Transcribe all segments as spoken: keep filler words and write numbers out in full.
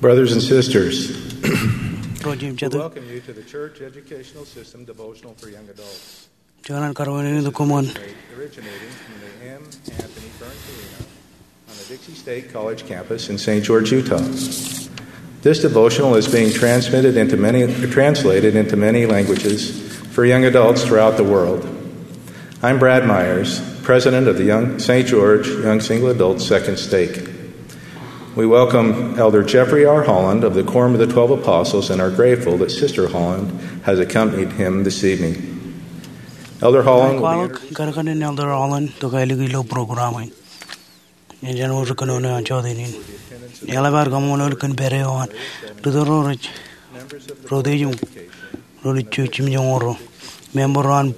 Brothers and sisters, Ro jimjatū, we welcome you to the Church Educational System Devotional for Young Adults. Jenaaj kōrā in eñin tok koṃṃool. Originating from the M. Anthony Burns Arena on the Dixie State College campus in Saint George, Utah. This devotional is being transmitted into many, translated into many languages for young adults throughout the world. I'm Brad Myers, president of the Young, Saint George Young Single Adults Second Stake. We welcome Elder Jeffrey R. Holland of the Quorum of the Twelve Apostles and are grateful that Sister Holland has accompanied him this evening. Elder Holland will be Kwaḷọk kōrā in Elder Holland tok ālikin ilo program in. Jen wōr kōnono eo an jota in. Eḷap ad kaṃṃoolol kōn pād eo an rūtto ro rej roteej im ro rej jimjuonñoul ro, member ro an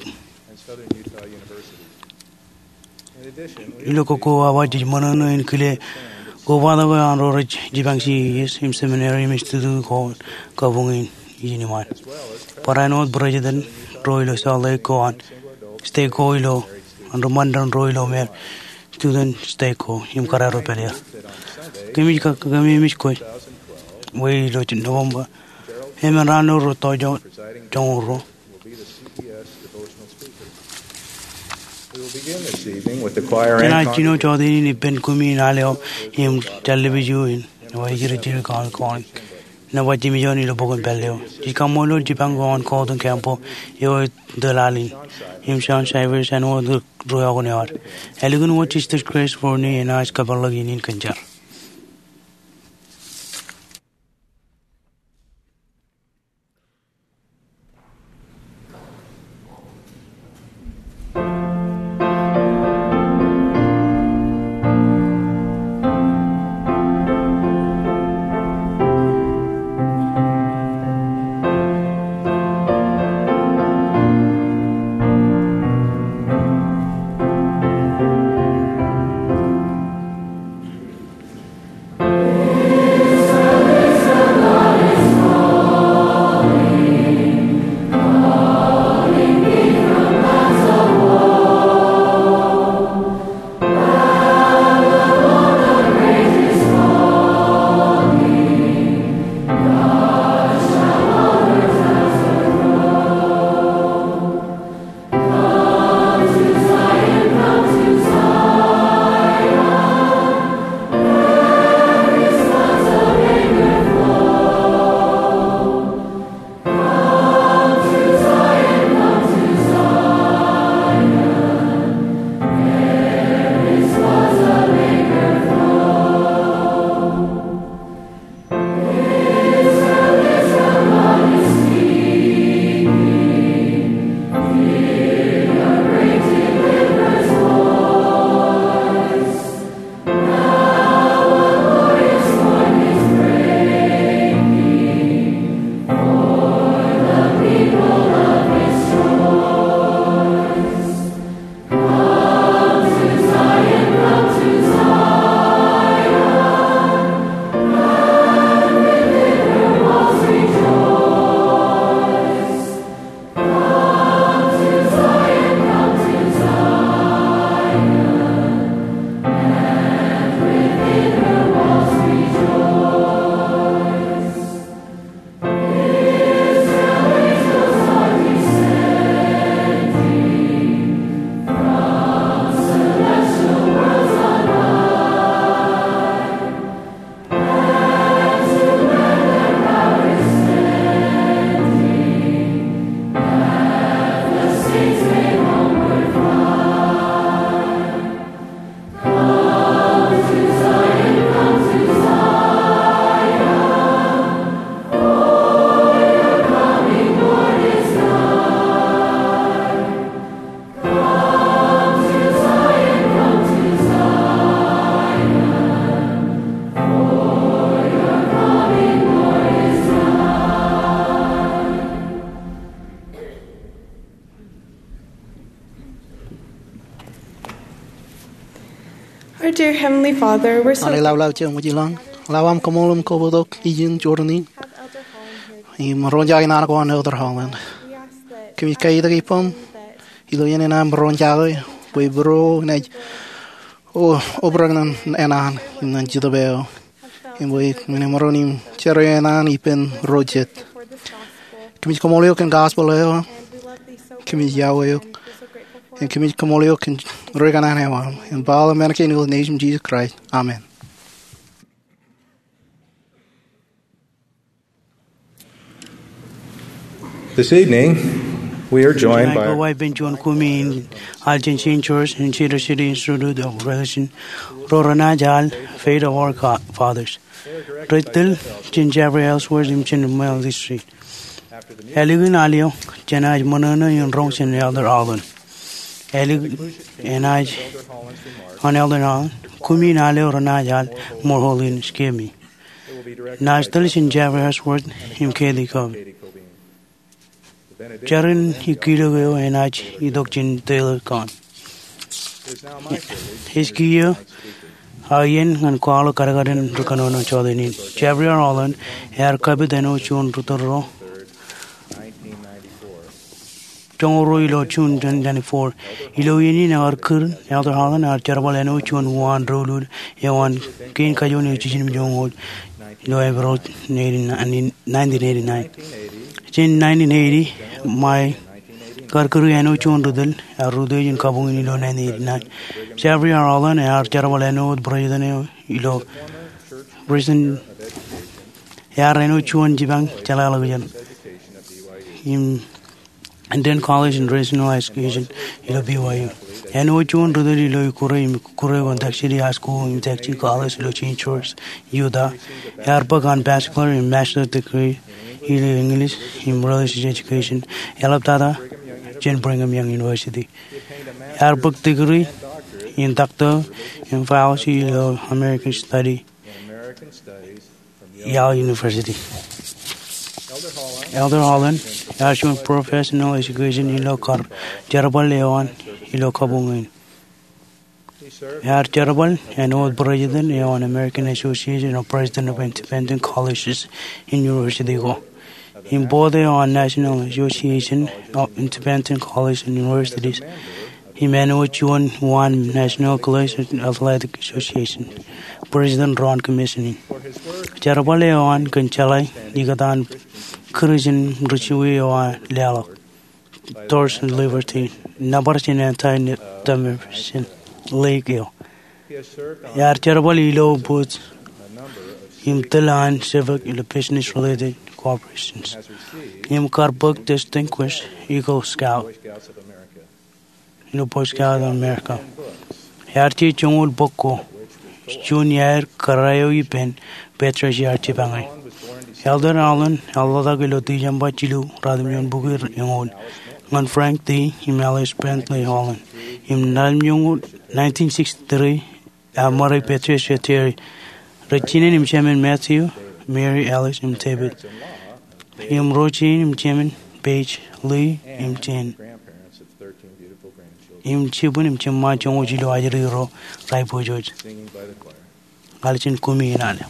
Ilo kōkkowa eo jej ṃōṇōṇō in kile kobatok eo an ro rej jipañ C E S im seminary im institute ko kabuñ in ijin iṃaan. Barāinwōt president ro ilo Salt Lake ko an stake ko ilo, an ri ṃandan ro ilo me student stake ko im kōrā ro pād ia. Kōmij ka, kōmij kwe, wōj ilo November. Emān raan ro rej to joñoul ro. Jenaaj jino jota in ippān kumi in al eo im tallipiju in, eo ej jidik jidik kọọni kọọni. Nōṃba jimjuon ilo bok in pālle eo. Jej kaṃṃoolol jipañ ko an Gordon Campbell eo ej tōl al in, im John Shivers āinwōt ri ruo eo an eo ad. Ālikin wōt Sisters Grace Forney enaaj kōpeḷḷọk in kōn jar. Our dear Heavenly Father, we're so Anij Lawlaw Jemwōj ilañ, lewōj aṃ kaṃṃoolol im kabbokbok ijin jorrāān in im ro in jake naan ko an Elder Holland. Kōmij kaitōk ippaṃ ilo iien in aṃ ro in jake bwe ippān ro enaaj obrak ñan eṇ an im ñan Jetōb eo im bwe enaaj maroñ in jar eṇ an ippān ro jet. Kōmij kaṃṃoolol eok kōn gospel eo. Kōmij iọkwe eok im kōmij kaṃṃoolol eok kōn ri kanaan eo aṃ. Im ba aolep men kein ilo etan Jisōs Kraist, amen. This evening, we are joined by Tonight, ko wā ippān juon kumi in al jān Saint George im Cedar City Institute of Religion, ro renaaj al Faith of Our Fathers. Rej tōl jān Jeffrey Ellsworth im jān Mill District. Ālikin al eo, jenaaj ṃōṇōṇō in roñ jān Elder Holland. Ālikin enaaj an Elder Holland, kumi in al eo renaaj al More Holiness, Give Me. Naaj tōl jān Jeffrey Ellsworth im Kathy Cobb. Jar in ikkilōk eo enaaj itok jān Taylor Kahn. Ej kiiō aō iien ñan kwaḷọk kadkadin ri kōnono jota in. Jeffrey R. Holland ear kapit āinwōt juon ri tōl ro joñoul ruo ilo June twenty twenty-four. Ilo iien in ear kūr, Elder Holland ear jerbal āinwōt juon uwaan doulul eo an kein kajoor eo jiljino joñoul ilo April nineteen eighty-nine. Jān nineteen eighty, ṃae kar kūr āinwōt juon ri tōl, ear rūtto jān kabuñ in ilo nineteen eighty-nine. Jeffrey R. Holland ear jerbal āinwōt president eo ilo, president, ear āinwōt juon jipañ jeḷāḷọkjeṇ im Indian College in Rational Education ilo B Y U. Āinwōt juon ri tōl ilo ikkure im ikkure ko in Taft City High School im Taft City College ilo Saint George, Utah. Ear bōk an bachelor im master degree ilo English im religious education, eḷaptata jān Brigham Young University. Ear bōk degree in doctor im fellowship ilo American Study Yale University. Elder Holland ear juon professional education ilo kar jerbal eo an ilo kabuñ in. Ear jerbal āinwōt president eo an American Association of President of Independent Colleges and University ko, im board eo an National Association of Independent Colleges and Universities, im āinwōt juon uwaan National Collegiate Athletic Association president ro an commission in. Jerbal eo an kōn jeḷā ikōtaan kūr jān ri jiwe eo aō leḷọk Torch of Liberty, nōbar jān anti-defamation league eo. Ear jerbal ilo board im tōl an sefōk ilo business related corporations, im kar bōk Distinguished Eagle Scout ilo Boy Scout of America. Ear je joñoul bok ko, juon iaer kōrā eo ippān Patriarch ear jipañ e. Elder Holland ear ḷotak ilo December jilu, ratimjuon bukwi eñoul, ñan Frank D. im Alice Bentley Holland. Im ratimjuon, nineteen sixty-three, ear ṃōrā Patriarch Terry. Rej jinen im jemān Matthew, Mary, Alice, im David. Im ro jein im jemān Page, Lee, im Jane. Im jibwin im jiṃṃa joñoul jilu ajri ro rej pojoj. Ña ij kumi in al eo.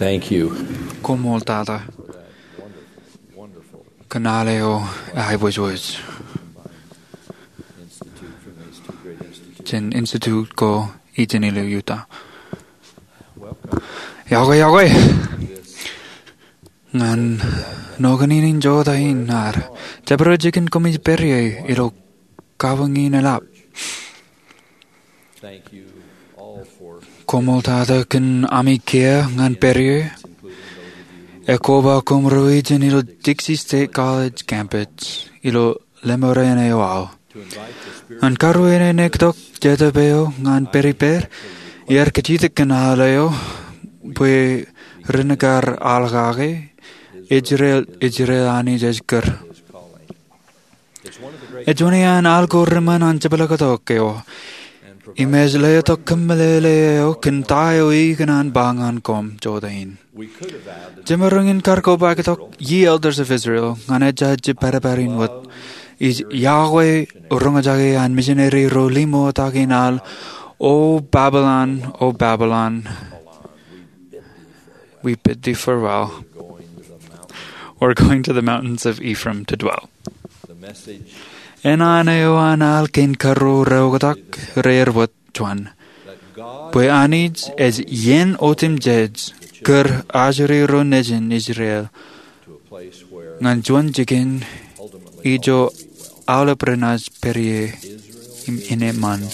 Thank you. Koṃṃool tata kōn al eo eaibōjbōj jān institute ko ijin ilo Utah. Iọkwe, iọkwe ñan nokwe in jota in ad jabdewōt jikin koṃij pād ie ilo kabuñ in eḷap. Koṃṃool tata kōn ami kiiō ñan pād ie, ekwe ba koṃ ro ijin ilo Dixie State College campus ilo lemore eo aō. Ñan karuwainene tok Jetōb eo ñan pād ippād, iar kajjitōk kōn al eo bwe ren kar al kake, Israel, Israel Anij ej kūr. Ej juon iaan al ko ri-ṃōn an jepḷaaktok eo im ej letok kōmeḷeḷe eo kōn ta eo ikōṇaan ba ñan koṃ jota in. Jemaroñ in kar kobaik tok, Ye Elders of Israel, ñan ejja jibadbad in wōt, ij iọkwe roñjake an misineri ro limootaki in al, O Babylon, O Babylon, we bid thee farewell. We're going to the mountains of Ephraim to dwell. Eṇ an eo an al kein karuo reoktak rear wōt juon, bwe Anij ej iien otemjej kūr ajri ro nejin Israel ñan juon jikin ijo aolep renaaj pād ie im eṃṃan.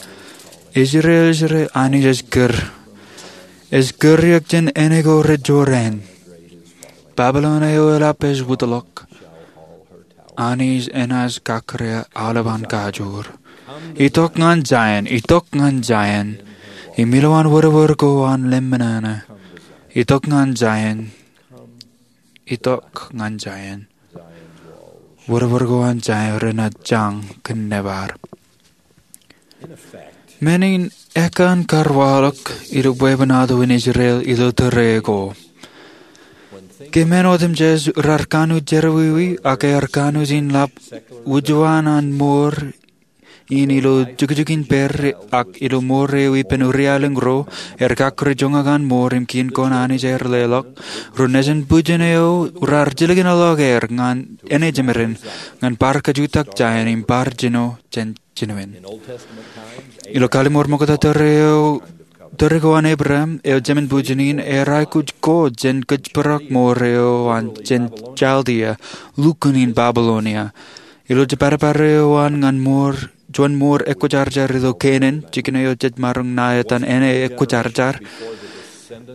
Israel, Israel Anij ej kūr, ej kūr eok jān āne ko rej jorrāān. Babilon eo eḷap ej wūtḷọk. Anij enaaj kakōrā aolep an kajoor. Itok ñan Zion, itok ñan Zion, im ilowaan wōrwōr ko an lemñoul. Itok ñan Zion, itok ñan Zion. Wōrwōr ko an Zion renaaj jañ kōn nōbar. Men in ekkan kar waḷọk ilo bwebwenato in Israel ilo tōre ko. Ke men otemjej rar kanooj jerọwiwi ak ear kanooj in lap wūjuon an mour in ilo jukjukin pād ak ilo mour eo ippān uri aelōñ ro, ear kakkure joñak an mour im kiin ko an Anij ear leḷọk, ro nejin bwijin eo rar jilkinḷọk er ñan āne jemād in, ñan bar kajutak Zion im bar jino jān jinoin. Ilo Kallim̧ur Ṃokta tōre eo, tōre ko an Ebream eo jemān bwijin in, ear aikuj ko jān kōjparok mour eo an jān Chaldea, lukkuun in Babilonia. Ilo jibadbad eo an ñan mour, juon mour ekwōjarjar ilo Kenan, jikin eo jej maroñ ṇa etan āne ekwōjarjar,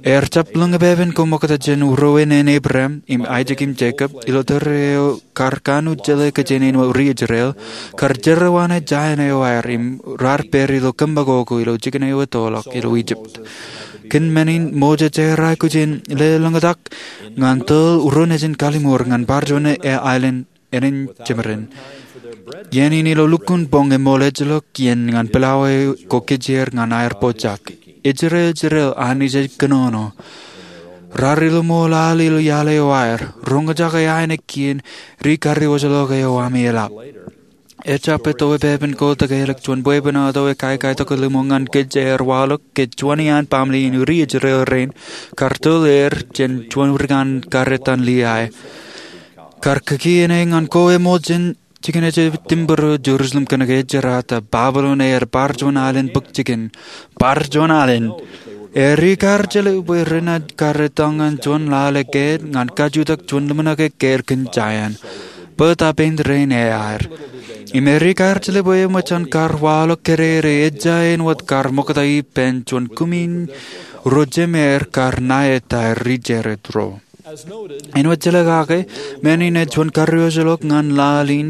ear jab lōñpepen ko ṃokta jān urowe in Ebream im Aisak im Jekob, ilo tōre eo kar kanooj jeḷā kōj āne in ri Israel, kar jerọwiwi Zion eo aer im rar pād ilo kōṃṃakoko ilo jikin eo ettoḷọk ilo Ijipt. Kōn men in Moses ear aikuj in lelōñtak ñan tōl ro nejin kalliṃur ñan bar juon aelōñ ānen jemād in. Iien in ilo lukkuun boñ eṃool ejjeḷọk iien ñan pilawā ko kijeer ñan aer pojak. Israel, Israel Anij ej kōnono. Rar ilo ṃool al ilo iaḷ eo aer. Roñjake aenōk kien ri karreojeḷọk eo ami eḷap. Ejjab etto epepen ko tōkeḷọk juon bwebwenato ekaikai tokōliṃo ñan kōj ear waḷọk ke juon iaan baaṃle in ri Israel rein kar tōl er jān juon ri kanaan kar etan Liai. Kar kikiene ñan ko eṃool jān jikin ej timburu Jerusalem kōnke ej jerata Babilon ear bar juon alen bōk jikin. Bar juon alen. Ear ikar jeḷā bwe renaaj kar etal ñan juon lale kāāl ñan kajutak juon ḷōmṇak ekkāāl kōn Zion. Bōtab āindein eaer. Im ear ikar jeḷā bwe eṃōj an kar waḷọk kōrā eo ejja āinwōt kar ṃokta ippān juon kumi in ro jemāer kar ṇa etaer ri Jared ro. Āinwōt jeḷā kake, men in ej juon karreojeḷọk ñan laḷ in,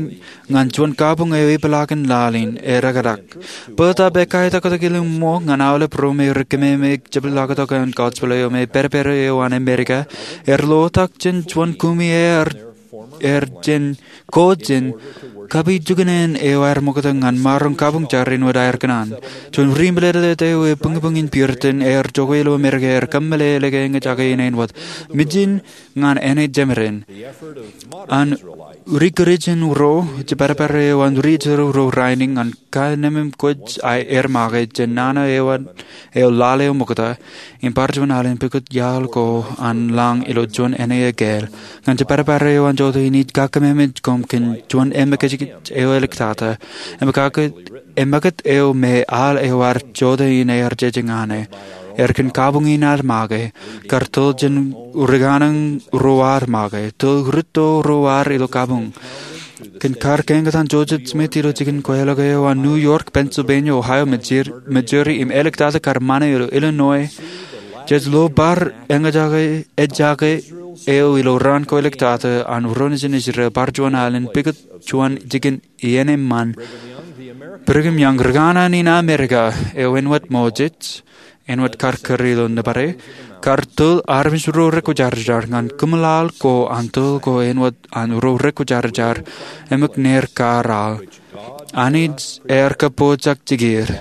ñan juon kabuñ eo epeḷaakin laḷ in, ear ekdak. Bōtab ekaitok tokōliṃo ñan aolep ro me rej kememej jepḷaaktok an gospel eo me pād ippād eo an Amerika, ear lotak jān juon kumi eaer, eaer jān ko jān kapijukunen eo aer ṃokta ñan maroñ kabuñ jar āinwōt aer kōṇaan. Juon ri meḷeḷe eo ebuñbuñ in Puritan ear jokwe ilo Amerika ear kōmeḷeḷe ke eñjake in āinwōt mijin ñan āne jemād in. An ri Kūrijin ro, jibadbad eo an ri Israel ro rainin ñan kanemem kwōj aer make jān nana eo, eo lale ṃokta, im bar juon alen pukot iaḷ ko an lañ ilo juon āne ekāāl. Ñan jepād eo an jota in ij kakkōmemeej koṃ kōn juon emekajekj eo eliktata, emekajekj, emekajekj eo me al eo ear jota in ear jeje ñan e. Ear kōn kabuñ in ad make, kar tōl jān ri kanōñ ro ad make, tōl rūtto ro ad ilo kabuñ. Kōn kar kañtaan Joseph Smith ilo jikin kweilọk eo an New York, Pennsylvania, Ohio, Missouri, Missouri, im eliktata kar ṃane ilo Illinois, jej lo bar eñjake, eñjake eo ilo raan ko eliktata an ro nejin Israel bar juon alen pukot juon jikin iien eṃṃan. Brigham Young, ri kanaan in Amerika eo āinwōt Moses, āinwōt kar kūr ilo nōbar e, kar tōl armej ro rekwōjarjar ñan kōmeḷeḷe ko an tōl ko āinwōt an ro rekwōjarjar, eṃōj ner kar al. Anij ear kōpooj ak jikir,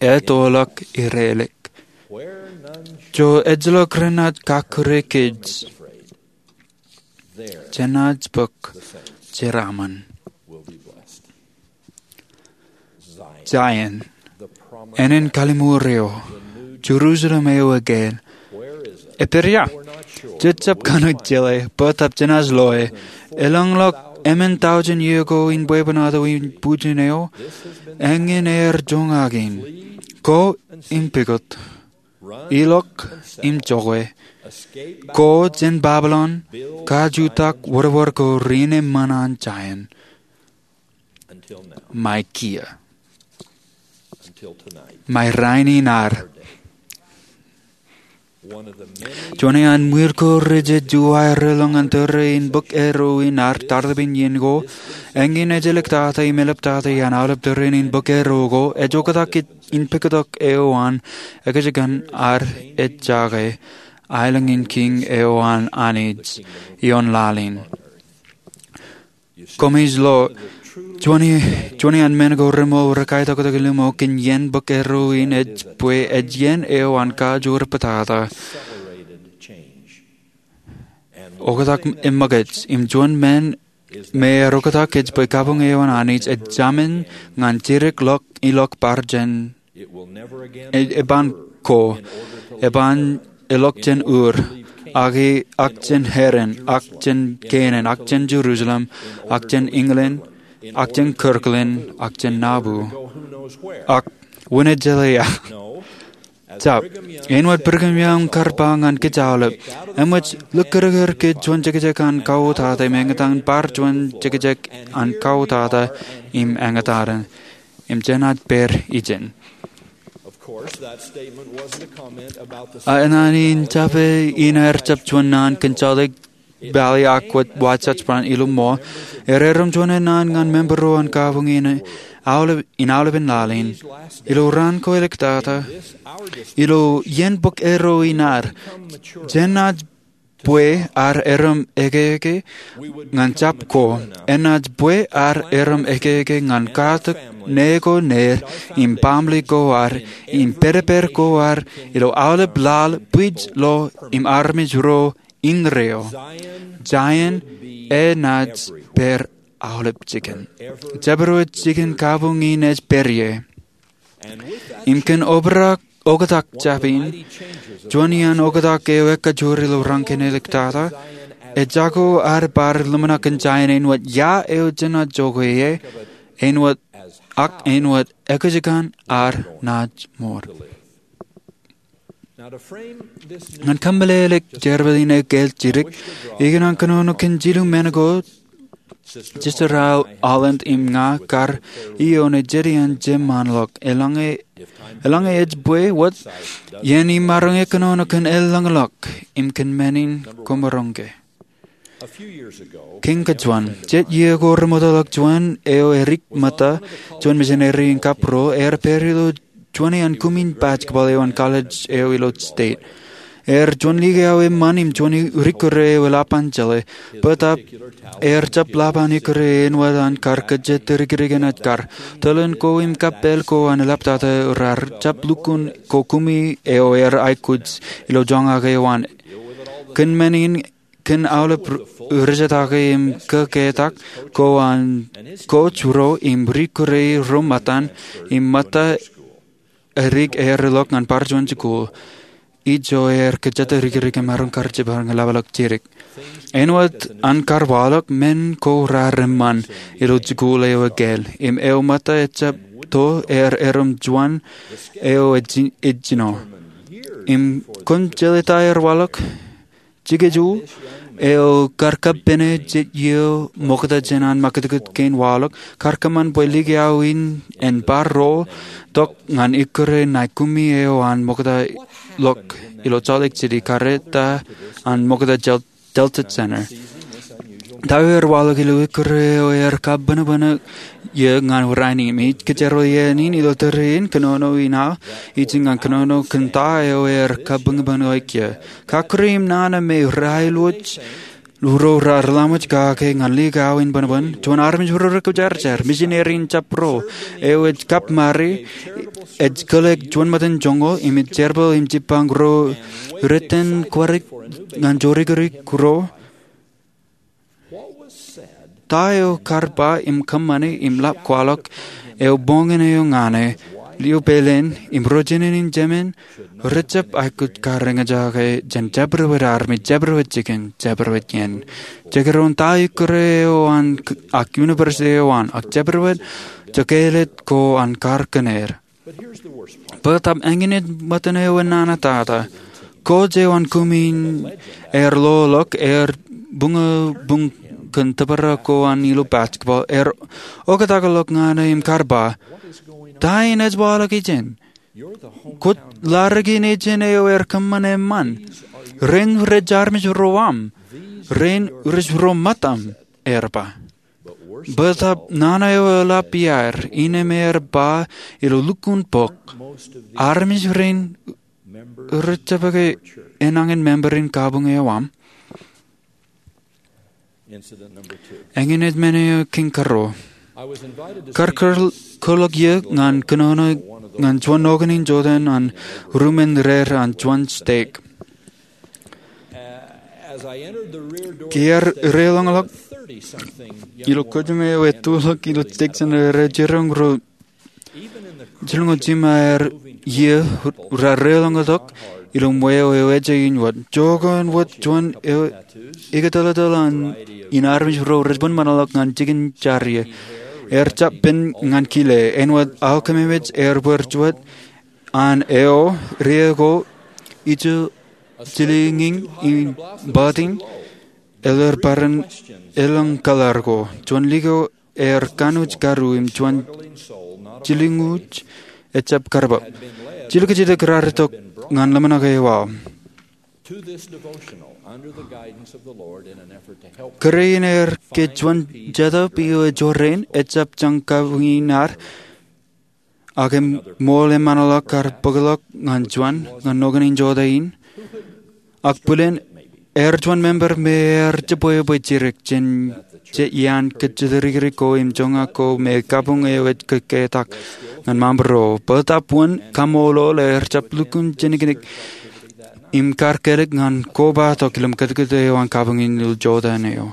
ettoḷọk irelōk. Ijo ejjeḷọk renaaj kakkure kōj, jenaaj bōk jeraaṃṃan. Zion, ānen kalliṃur eo, Jerusalem eo ekāāl, epād ia? Jej jab kanooj jeḷā, bōtab jenaaj loe. Elōñḷọk emān tọujin iiō ko in bwebwenato in bujen eo, eñin ear joñak in, ko im pukot, ilọk im jokwe, ko jān Babilon, kajutak wōdewōd ko ri-nōṃṃan an Zion. Ṃae kiiō. Ṃae rainin ad. Juon iaan ṃwiir ko rej juwaer relōñ an tōre in bōk erro in ad tartibin iien ko, eñin ej eliktata im eḷaptata iaan aolep tōre in bōk erro ko, ej oktak in pukot eo an ekajekōn ad ejjake, aelōñ in kiiñ eo an Anij ioon laḷ in. Koṃij lo, juon iaan men ko reṃool rekaitoktok in liṃo kōn iien bōk erro in ej bwe ej iien eo an kajoor bōtata. Oktak eṃōkaj, im juon men me ear oktak ej bwe kabuñ eo an Anij ej jamin ñan jidik ḷọk ilọk bar jān, e-, eban ko, eban elọk jān ur, ak, ak jān Haran, ak jān Kenan, ak jān Jerusalem, ak jān England, ak jān Kirtland, ak jān Nauvoo, ak wūnin jeḷā ia. Jab, āinwōt Brigham Young kar ba ñan kōj aolep, eṃōj likūtkūt kōj juon jekjek an kautata im eñtaan bar juon jekjek an kautata im eñtaan. Im jenaaj pād ijin. Ak naan in jab e, inaaj jab juon naan kōn Salt Lake Valley ak wōt Wasatch Front ilo ṃool, ear erom juon naan ñan member ro an kabuñ in aolepān laḷ in. Ilo raan ko eliktata, ilo iien bōk erro in ad, jenaaj bwe ad erom ekeeke ñan jab ko, enaaj bwe ad erom ekeeke ñan katak ṇe ko ṇe, im baaṃle ko ad, im pād pād ko ad, ilo aolep laḷ, bwij lo, im armej ro, indeeo. Zion enaaj pād aolep jikin. Jabdewōt jikin kabuñ in ej pād ie. Im kōn obrak oktak jab in, juon iaan oktak eo ekajoor ilo raan ko eliktata, ejako ad bar ḷōmṇak kōn Zion āinwōt ia eo jenaaj jokwe ie, āinwōt, ak āinwōt ekajekōn ad naaj mour. Ñan kōmeḷeḷeik jerbal in ekāāl jidik, ikōṇaan kōnono kōn jilu men ko Sister Holland im ña kar iioon ej jet iaan jemānḷọk. Eḷaññe, eḷaññe ej bwe wōt, iien im maroñ e kōnono kōn eḷañḷọk im kōn men in koṃaroñ ke. Kiiñ kajuon, jet iiō ko remootḷọk juon eo edik ṃōtta, juon misineri in kab ro, ear pād ilo juon iaan kumin basketball eo an college eo ilo state. Ear juon likao eṃṃan im juon ri-, rikūr eo eḷap an jeḷā. Bōtab ear jab ḷap an rikūr eo āinwōt an kar kōjjitōk dikdik enaaj kar. Tōl in ko im kappāl ko an eḷaptata raar jab lukkuun ko kumi eo ear aikuj ilo joñak eo an. Kōn men in kōn aolep ri-, rijitake im kōketak ko an coach ro im ri-kūrei ro ṃōttan im ṃōtta edik ear ilọk ñan bar juon jikuuḷ. Ijo ear kōjatdikdik im maroñ kar jepar ñan lapḷọk jidik. Āinwōt an kar waḷọk, men ko raar eṃṃan ilo jikuuḷ eo ekāāl im eo ṃōtta ejjab to ear erom juon eo ej-, ejino. Im kwōn jeḷā ta ear waḷọk? Jikeju eo kar kappāne jet iiō ṃokta jān an ṃakūtkūt kein waḷọk kar kōṃṃan bwe like aō in en bar ro tok ñan ikkure naikumi eo an ṃokta ḷọk ilo Salt Lake City kar eta an ṃokta Del-, Delta Center. Ta eo ear waḷọk ilo ikkure eo ear kabōnbōn iiō ñan rainin. Im ij kōjro iien in ilo tōre in kōnono in aō ijin ñan kōnono kōn ta eo ear kabōnbōn iiō. Kakkure im nana me raelwōj ro raar laṃōj kake ñan like aō in bōnbōn. Juon armej ro rekwojarjar, misineri in jab ro, eo ej kab mari, ej kōḷḷe juon ṃōttan joñoul im ej jerbal im jibbañ ro riten kwarik ñan jorikirik ro. Ta eo kar ba im kōṃṃani im ḷap kwaḷọk eo boñin eo ñan e, lio peilen, im ro jinen in jemān, rejab aikuj kar eñjake jān jabdewōt armej, jabdewōt jikin, jabdewōt iien. Jekdọọn ta ikkure eo an k-, ak university eo an, ak jabdewōt jokāālōt ko an kar kōn er. Bōtab eñin ej ṃōttan eo enana tata. Coach eo an kumi in ear loḷọk, ear buñbuñ kōn tōprak ko an ilo basketball, ear oktak ḷọk ñan e im kar ba, "Ta in ej waḷọk ijin? Kwōj ḷadik in ijin eo ear kōṃṃan eṃṃan. Rein rej armej ro aṃ. Rein rej ro ṃōttaṃ," ear ba. Bōtab nana eo eḷap iaer, innem ear ba ilo lukkuun bok, "Armej rein rejjab ke enañin member in kabuñ eo aṃ?" Eñin ej men eo kein karuo. Kar kōḷ-, kōḷḷọk iiō ñan kōnono ñan juon noknin jotein an rumen rer an juon stek. Ke ear reilọñḷọk ilo kōjām eo ettoḷọk ilo stek center, rej jiroñ ro jilñuul jiṃa aer iiō raar reilọñḷọk ilo ṃweo eo ejān wōt. Jokwe wōt juon eo ikōtōltōl an in armej ro rej bōnbōnḷọk ñan jikin jar ie. Ear jab pen ñan kile, āinwōt aō kememej ear bōk juon an eo, rie ko, ijo jilñiñ im bōtiñ, ālikin bar in elōñ kaḷar ko. Juon liko ear kanooj karuo im juon jilñuuj ejjab karbab. Jilkinjitōk raar itok ñan ḷōmṇak eo aō. Kōrā in ear ke juon jetōb eo ej jorrāān, ejjab jañ kabuñ in ad, ak eṃṃool eṃṃanḷọk kar bōkḷọk ñan juon ñan noknin jota in. Ak bōlen ear juon member me ear jibwe bwe jidik jān jet iaan kōjatdikdik ko im joñak ko me kabuñ eo ej kōketak ñan maṃro. Bōtab wōn kaṃṃoolol ear jab lukkuun jeniknik im kar kōlik ñan kobatok ilo ṃakūtkūt eo an kabuñ in ilo jota eo.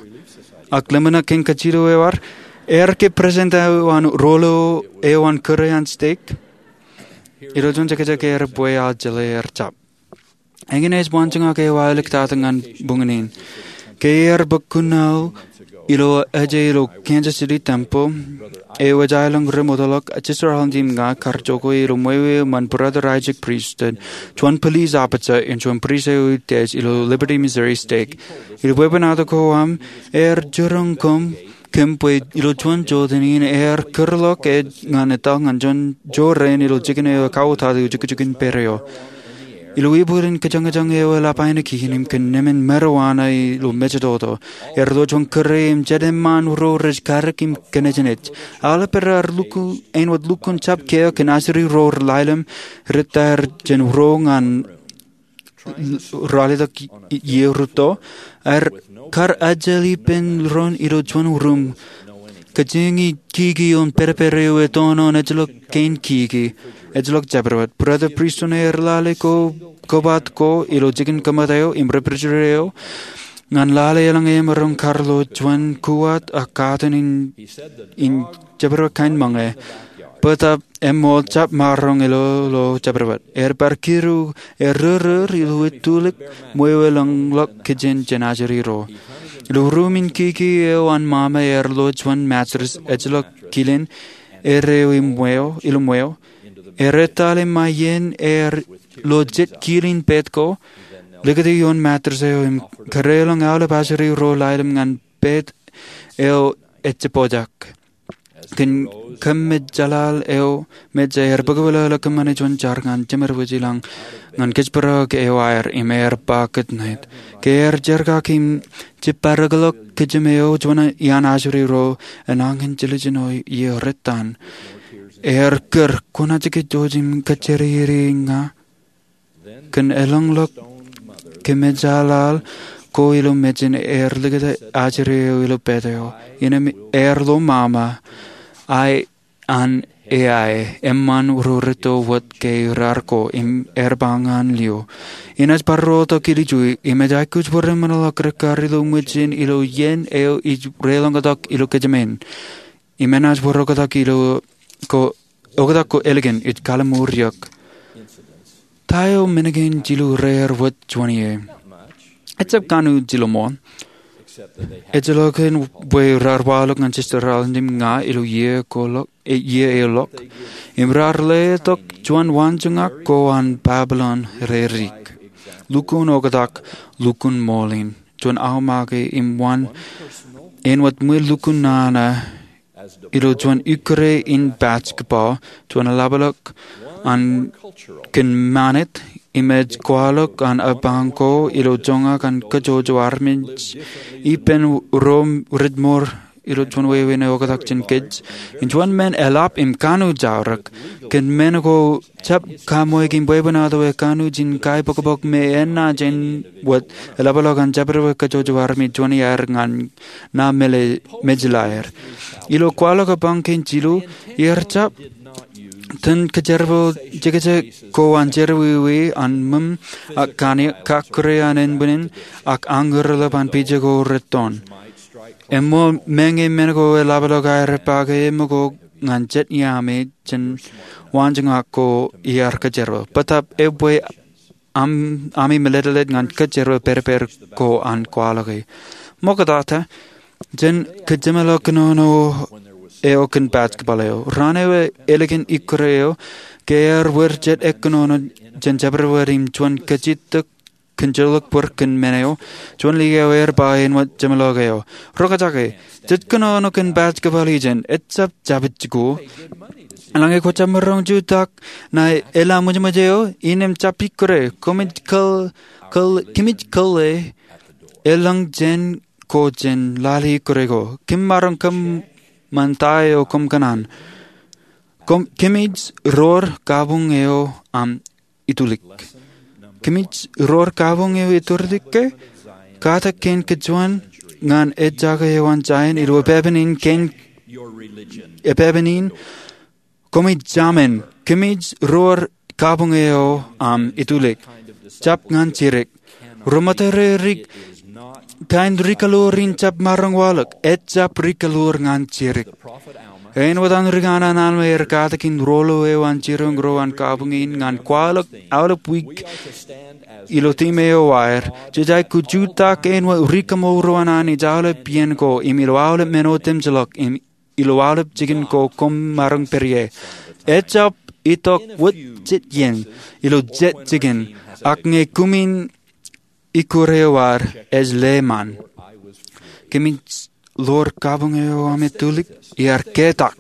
Ak ḷōmṇak kein kajjitōk eo ad, ear ke presiden eo an rōl eo an kōrā an stek? Ilo juon jekjek ear bwe aō jeḷā ear jab. Eñin ej waanjoñak eo aō iliktata ñan buñūn in. Ke ear bōk kuṇaō ilo ejā ilo Kansas City Tempel eo ej aelōñ ri ṃootḷọk, Sister Holland im ña kar jokwe ilo ṃweo eo ṃōn Brother Isaac Priesthood, juon police officer in juon pristut eo ij test ilo Liberty Missouri Stek. Ilo bwebwenato ko aṃ, ear jiroñ kōm kōm bwe ilo juon jotein in ear kūrḷọk ej ñan etal ñan juon jorrāān ilo jikin eo ekauwōtata ijukjukin pere eo. Ilo ippān kōjañjañ eo eḷap ainikien im kōn emān marijuana ilo mejatoto, ear lo juon kōrā im jet eṃṃaan ro rej kadik im kōnejnej. Aolep er raar lukkuun, āinwōt lukkuun jab kiiō kōn asuri ro ḷalem, rej tar jān ro ñan ralitōk iiō rūtto, ear kar ajel ippān doon ilo juon ruum, kōjeañ kiki ioon pedped eo ej tonon ejjeḷọk kein kiki, ejjeḷọk jabdewōt. Brother Priesthood ear lale ko, kobat ko ilo jikin kōṃṃan eo im refrigerator eo, ñan lale eḷaññe emaroñ kar ilo juon kuwat ak katakin in jabdewōt kain ṃōñā. Bōtab eṃṃool jab maroñ ilo ilo jabdewōt. Ear bar kidu ear rōrōr ilo etulik ṃweo eḷōñḷọk kijen jān ajri ro. Ilo ruumin kiki eo an ṃaṃa ear lo juon mattress ejjeḷọk kilen er eo ilo ṃweo. Ear ettale ṃae iien ear lo jet kilen pet ko, likūti ioon mattress eo im kadeḷọñ aolep ajri ro lailem ñan pet eo ejjab pojak. Kōn kōmmejaḷaḷ eo mejja ear bōkbōk ḷọk kōṃṃane juon jar ñan jemed wōj ilañ ñan kōjparok eo aer im ear ba kōtnāik. Ke ear jerkakiki im jibadekḷọk kijem eo juon iaan ajri ro, enañin jiljino ie rettan. Ear kūr, kwōnaaj kajjojo im kajjitōk ña? Kōn eḷōñḷọk kōmmejaḷaḷ ko ilo mejān ear likūt ajri eo ilo pet eo. Innem ear lo ṃaṃa, ae an eae, eṃṃan ro rūtto wōt ke raar ko, im ear ba ñan lio, inaaj barrotok ilju, im ej aikuj bwe ren ṃōṇōḷọk rekkar ilo mejān ilo iien eo ij reḷọñḷọk ilo kōjām in. Im enaaj bōk oktak ilo ko, oktak ko ālikin ij kalimur eok. Ta eo men kein jilu rear wōt juon ie? Ejjab kanooj jilu ṃool. Ejjeḷọk kōn bwe raar waḷọk ñan Sister Rowland im ña ilo iiō eo ḷọk, im raar letok juon waanjoñak ko an Babilōn reirik. Lukkuun oktak, lukkuun ṃool in, juon aomake im wōn āinwōt ṃwiin lukkuun nana ilo juon ikkure in basketball, juon eḷapḷọk an kōn manet, im ej kwaḷọk an apañ ko ilo joñak an kajjojo armej ippān ro rej mour ilo juon wāween eo oktak jān kōj. Im juon men eḷap im kanooj aorōk, kōn men ko jab kaṃṃool im bwebwenato e kanooj in kaibokbok me enaaj āinwōt eḷapḷọk an jabdewōt kajjojo armej juon iaer ñan ṇa mejlaer. Ilo kwaḷọk apañ kein jilu, iar jab itōn kōjerbal jekjek ko an jerọwiwi an ṃōṃ ak kaniōk, kakkure an enbwinin, ak añurḷap an pija ko rettoon. Eṃṃool meñe men ko eḷapḷọk aer pake eṃōko ñan jet iaami jān waanjoñak ko iar kōjerbal. Bōtab ebwe am, ami mālōtlōt ñan kōjerbal pedped ko an kwaḷọke. Ṃoktata, jen kōjeṃḷọk kōnono eo kōn basketball eo. Raan eo ālikin ikkure eo, ke ear wōr jet kōnono jān jabdewōt im juon kajjitōk kōn jolōk bōd kōn men eo, juon liaak eo ear ba āinwōt jeṃḷọk eo, roñjake, jet kōnono kōn basketball ijeṇ, ejjab jabōt jikuuḷ. Eḷaññe kwō jab maroñ jutak ṇa eḷap ṃōjṃōj eo, innem jab ikkure, kōmij kōḷ, kōḷ, kōmij kōḷ e, eḷap jān ko jān lale ikkure ko. Kōm maroñ kōṃṃan ta eo koṃ kōṇaan. Kōm, kōmij roor kabuñ eo aṃ itulik. Kōmij roor kabuñ eo itulik ke? Katak kein kajuon ñan ejjake eo an Zaion ilo epāpān in kein, epāpān in, kōmij jāmin, kōmij roor kabuñ eo aṃ itulik. Jab ñan jidik. Ro ṃōttan reirik, kain ri kaḷoor in jab maroñ waḷọk, ejjab ri kaḷoor ñan jidik. Āinwōt an ri kanaan Alma ear katakin rolo eo an jiroñ ro an kabuñ in ñan kwaḷọk aolep wiik ilo timi eo aer, jej aikuj jutak āinwōt ri kaṃool ro an Anij aolep iien ko im ilo aolep men otemjeḷọk im ilo aolep jikin ko koṃ maroñ pād ie. Ejjab itok wōt jet iien ilo jet jikin, ak ñe kumi ikkure eo ad, ej leṃan. Kōmij roor kabuñ eo aṃ itulik, iar ketak.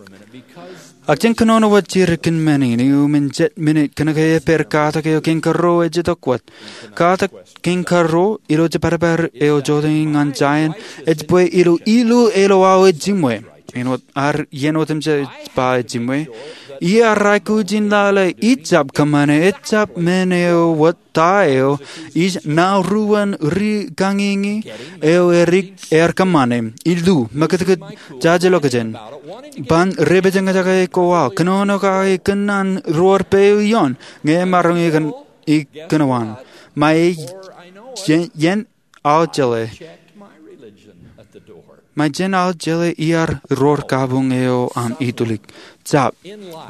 Ak jen kōnono wōt jidik kōn men in, iuṃwin jet minit, kōnke epād katak eo kein karuo ej itok wōt. Katak kein karuo, ilo jepād eo joteen ñan Zaion, ej bwe ilo ilu eo aō ejiṃwe. Āinwōt ad iien otemjej ba ejiṃwe. Iar aikuj in lale, ijjab kōṃṃane, ejjab men eo wōt ta eo, ij ṇa ruōn ri kañiñi eo edik ear kōṃṃane, ilu, mekūtkūt jajilọkjeṇ. Ban depejñōjake ko aō, kōnono kake kōn an roor peiū ioon, ñe emaroñ ikōn, ikōnowan. Ṃae ien, ien aō jeḷā. Ṃae jān aō jeḷā iar roor kabuñ eo aṃ itulik. Jab,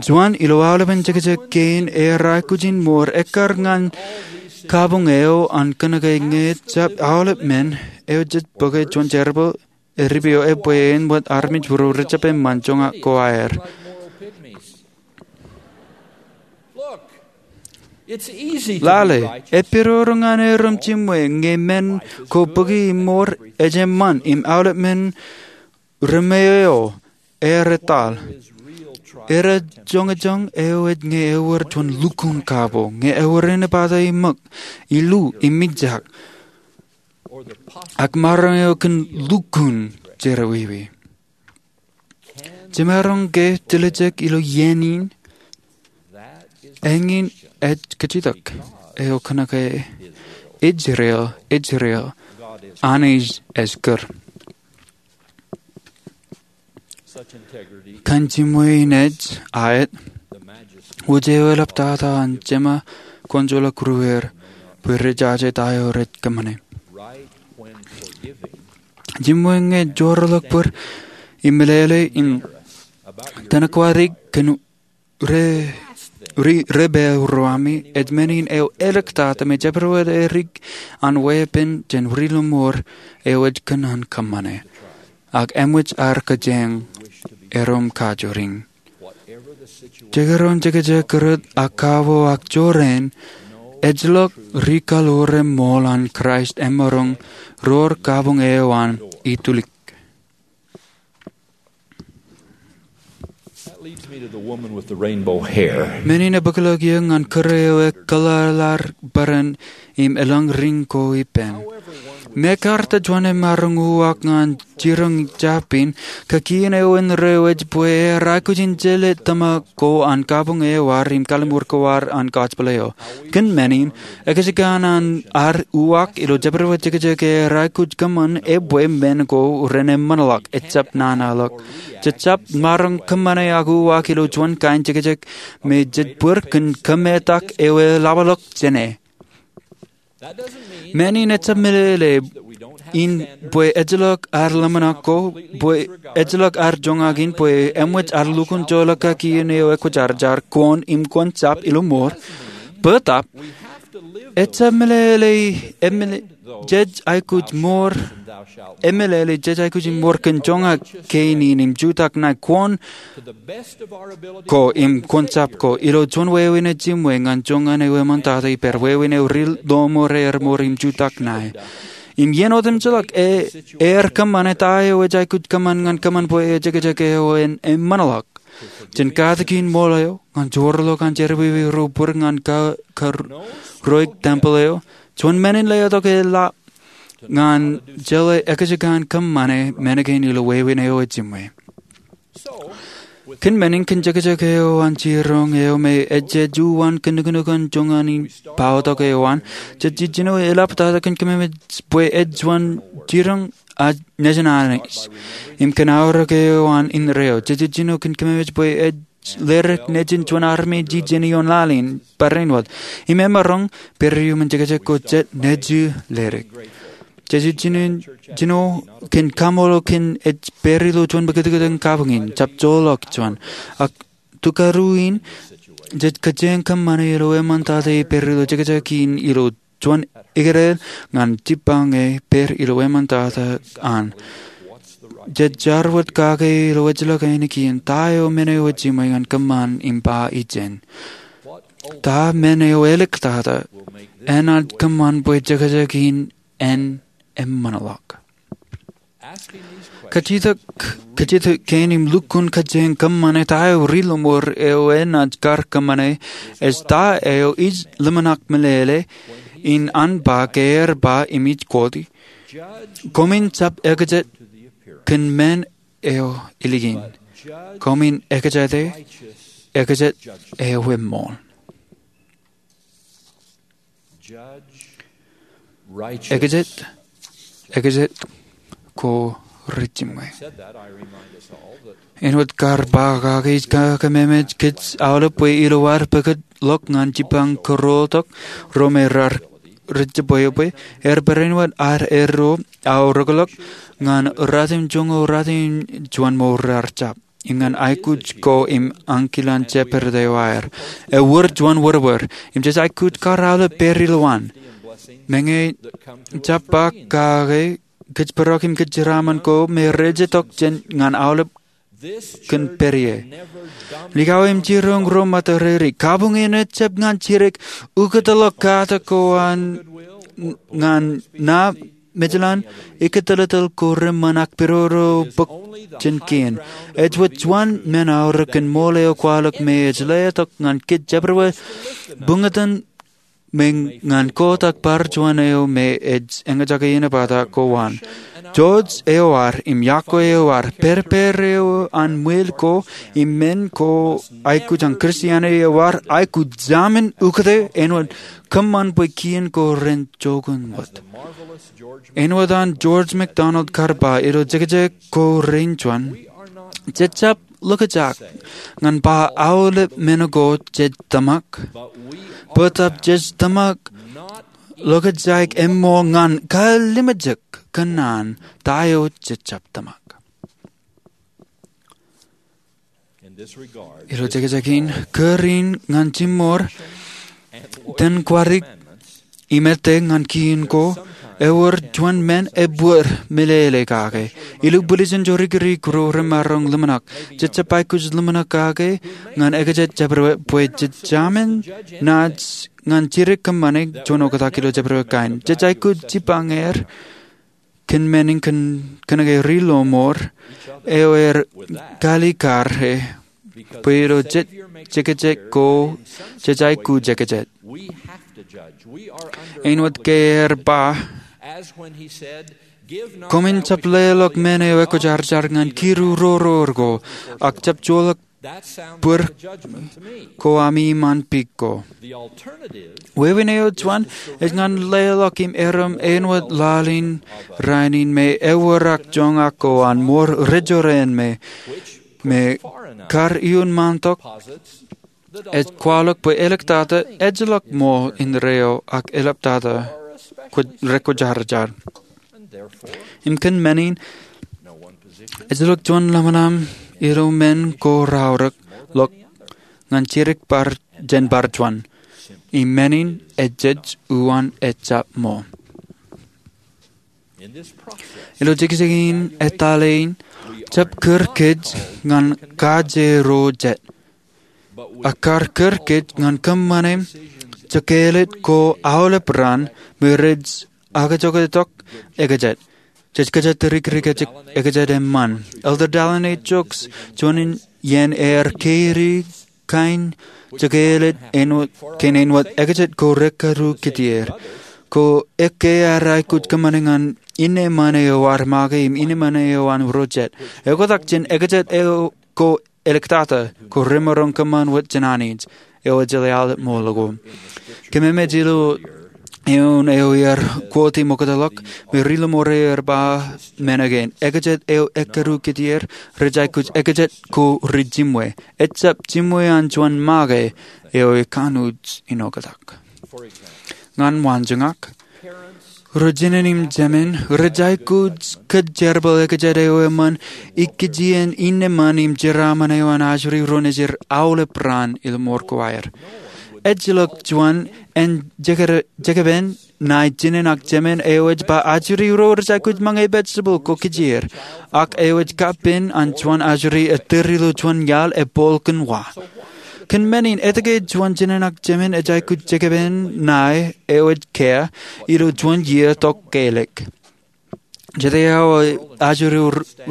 juon ilo aolepen jekjek kein ear aikuj in mour ekkar ñan kabuñ eo an kōnke ñe jab aolep men eo jej bōke juon jerbal eo ripeo bwe en wōt armej būruō rej jab eṃṃan joñak ko aer. Lale, epidodo ñan erom jiṃwe ñe men ko bōki im mour ej eṃṃan im aolep men remeeo ear etal. Erā joñojoñ eo ej ñe ewōr juon lukkuun kabo ñe ewōr āne pata im ṃōk, ilu im mijak, ak maroñ eo kōn lukkuun jerọwiwi. Jemaroñ ke tiljek ilo iien in? Eñin ej kajjitōk eo kōnke Israel, Israel, Anij ej kūr. Kōn jiṃwe in ej aet, wōj eo eḷaptata an Jema kwōn joḷọk ruer bwe rej jaje ta eo rej kōṃṃane. Jiṃwe ñe joorḷọk bōd im meḷeḷe in tōnkwōj ri kōn ri, ri, ri pād ro ami, ej men in eo āliktata me jabdewōt erik an weeppān jān ri-lọmọọr eo ej kōṇaan kōṃṃane ak eṃōj ad kōjeañ erom kajoor in. Jekdọọn jekjek kūrōt ak kabo ak jorrāān, ejjeḷọk ri kallore ṃool an Kraist emaroñ roor kabuñ eo an itulik. That leads me to the woman with the rainbow hair. Men in ebōkḷọk iiō ñan kūr eo ekōḷḷāḷḷaar bōran im elōñ ring ko ippān. Mekarta juon emaroñ uwaak ñan jiroñ jab in, kakien eo indeeo ej bwe ear aikuj in jeḷā tōmak ko an kabuñ eo ad im kalliṃur ko ad an gospel eo. Kōn men in, ekajjikañ an ad uwaak ilo jabdewōt jekjek ear aikuj kōṃṃan ebwe men ko ren eṃṃanḷọk, ejjab nana ḷọk. Jej jab maroñ kōṃṃane ak uwaak ilo juon kain jekjek me jej bōd kōn kōmetak eo eḷapḷọk jāne. Men in ejjab meḷeḷe in bwe ejjeḷọk ad ḷōmṇak ko, bwe ejjeḷọk ad joñak in, bwe eṃōj ad lukkuun joḷọk kakien eo ekwōjarjar, kwōn im kwōn jab ilo mour. Bōtab, ejjab meḷeḷe, emeḷe-, jej aikuj mour, emeḷeḷe jej aikuj in mour kōn joñak kein in im jutak ṇae, kwōn ko im kwōn jab ko, ilo juon wāween jiṃwe ñan joñan eo eṃṃantata ippād, wāween eo ri-lọmọọr ear mour im jutak ṇae. Im iien otemjeḷọk e, ear kōṃṃane ta eo ej aikuj kōṃṃan ñan kōṃṃan bwe ejekjek eo en eṃṃanḷọk. Jān katakin ṃool eo, ñan joorḷọk an jerọwiwi ro bōd ñan ka, ka, roik tempel eo, juon men in letok eḷap ñan jeḷā ekajjikañ kōṃṃane men kein ilo wāween eo jiṃwe. Kōn men in kōn jekjek eo an jiroñ eo me ejjeḷọk uwaan kōn nuknuk an joñan in paotok eo an, jej jino eḷaptata kōn kōmemej bwe ej juon jiroñ a nejin Anij. Im kōn aorōk eo an indeeo, jej jino kōn kōmemej bwe ej ledik nejin juon armej ijin ioon laḷ in barāinwōt. Im emaroñ pād iuṃwin jekjek ko jet nejin ledik. Jej jino, jino kōn kaṃṃoolol kōn ej pād ilo juon mekitkitekin kabuñ in, jab joḷọk juon. Ak tukadu in, jej kōjeañ kōṃṃane ilo eṃṃantata e pād ilo jekjek in ilo juon ikōṇaan ñan jibbañ e pād ilo eṃṃantata an. Jej jar wōt kake ilo ejjeḷọk ainikien ta eo men eo jiṃwe ñan kōṃṃan im ba ijin. Ta men eo āliktata enaaj kōṃṃan bwe jekjek in en eṃṃanḷọk. Kajjitōk, kajjitōk kein im lukkuun kōjeañ kōṃṃane ta eo ri-lọmọọr eo enaaj kar kōṃṃane, ej ta eo ij ḷōmṇak meḷeḷe in an ba ke ear ba im ij quote, "Koṃwin jab ekajet kōn men eo ilikin. Koṃwin ekajete ekajet eo eṃṃool." Ekajet, ekajet ko ri-jiṃwe. Āinwōt kar ba kake, ij kōmemej kōj aolep bwe ilo ad pukot ḷọk ñan jibbañ kōrọọltok ro me raar rej jab bwebwe, er barāinwōt ad erro aorōkḷọk ñan ratimjuonñoul ratimjuon ṃool raar jab, im ñan aikuj ko im ankilōñ jepād eo aer. Ewōr juon wōrwōr, im jej aikuj kar aolep pād ilowaan. Meñe jab ba kake, kōjparok im kōjeraaṃṃan ko me rej itok jān ñan aolep kōn pād ie. Likao im jiroñ ro ṃōttōreri, kabuñ in ejjab ñan jidik ukōtḷọk kate ko an ñan na mejālan ikōtōltōl ko reṃṃan ak pidodo bōk jān kien. Ej wōt juon men aorōk kōn ṃool eo kwaḷọk me ej letok ñan kōj jabdewōt buñtōn me ñan Koot ak bar juon eo me ej eñjake inepata ko an. Joj eoar im yokwe eoar, pād pād eo an ṃwil ko im men ko aikuj an Kristianiti eoar, aikuj jamin ukōte āinwōt kōṃṃan bwe kien ko ren jokun wōt. Āinwōt an George MacDonald kar ba ilo jekjek ko rein juon, jej jab ḷokjak ñan ba aolep men ko jej tōmak, bōtab jej tōmak ḷokjak eṃṃool ñan kalimjek kōnnaan ta eo jej jab tōmak. Ilo jekjek in, kūr in ñan jiṃor tōn kwadik im ettā ñan kien ko, ewōr juon men ebōd meḷeḷe kake. Ilo bulijen jorikirik ro remaroñ ḷōmṇak, jej jab aikuj ḷōmṇak kake ñan ekajet jabdewōt bwe jej jamin naaj ñan jidik kōṃṃane juon oktak ilo jabdewōt kain. Jej aikuj jipañ er kōn men in kōn, kōn ke ri lọmọọr eo er kalikkar e, bwe ilo jej jekjek ko jej aikuj jekjek. Āinwōt ke ear ba, koṃwin jab leḷọk men eo ekwōjarjar ñan kidu roror ko, ak jab joḷọk bōd ko ami iṃaan pik ko. Wāween eo juon ej ñan leḷọk im erom āinwōt laḷ in rainin me ewōr ak joñak ko an ṃool rejorrāān me, me kar iuṃwin ṃaantok ej kwaḷọk bwe āliktata ejjeḷọk ṃool indeeo ak āliktata rekwōjarjar. Im kōn men in, ejjeḷọk juon ḷōmṇak ilo men ko raorōk ḷọk ñan jidik bar jān bar juon. Im men in ejej uwaan ejjab ṃool. Ilo jekjek in etale in, jab kūr kōj ñan kaje ro jet, ak kar kūr kōj ñan kōṃṃane jekāālōt ko aolep raan me rej akojoktok ekajet. Jej kōjatdikdik ekajet eṃṃan. Elder Dallin H. Oaks, juon in ien ear keri kain jekāālōt kōn āinwōt ekajet ko rekkadu kitier. Ko ekkā ad aikuj kōṃṃane ñan innem eo ad make im innem eo an ro jet. Eoktak jān ekajet eo ko āliktata ko remaroñ kōṃṃan wōt jān Anij eo ejjeḷọk aolep ṃool ko. Kōmemej ilo eoon eo ear quote im oktak ḷọk, me ri lọmọọr eo ear ba men kein, ekajet eo ekkadu kitier rej aikuj ekajet ko rijiṃwe. Ejjab jiṃwe an juon make eo ekanooj in oktak. Ñan waanjoñak, ro jinōn im jemān rej aikuj kōjjerbal ekajet eo eṃṃan ikkijjien innem im jeraaṃṃan eo an ajri ro nejid aolep raan ilo ṃool ko aer. Ejjeḷọk juon en jekere-, jekpen ṇae jinōn ak jemān eo ej ba ajri ro rej aikuj ṃōñā vegetable ko kijeer, ak eo ej kappin an juon ajri ettōr ilo juon iaḷ epooḷ kōn wa. Kōn men in, etke juon jinōn ak jemān ej aikuj jekpen ṇae eo ej kea ilo juon iiō tok kelik? Jete aō ajri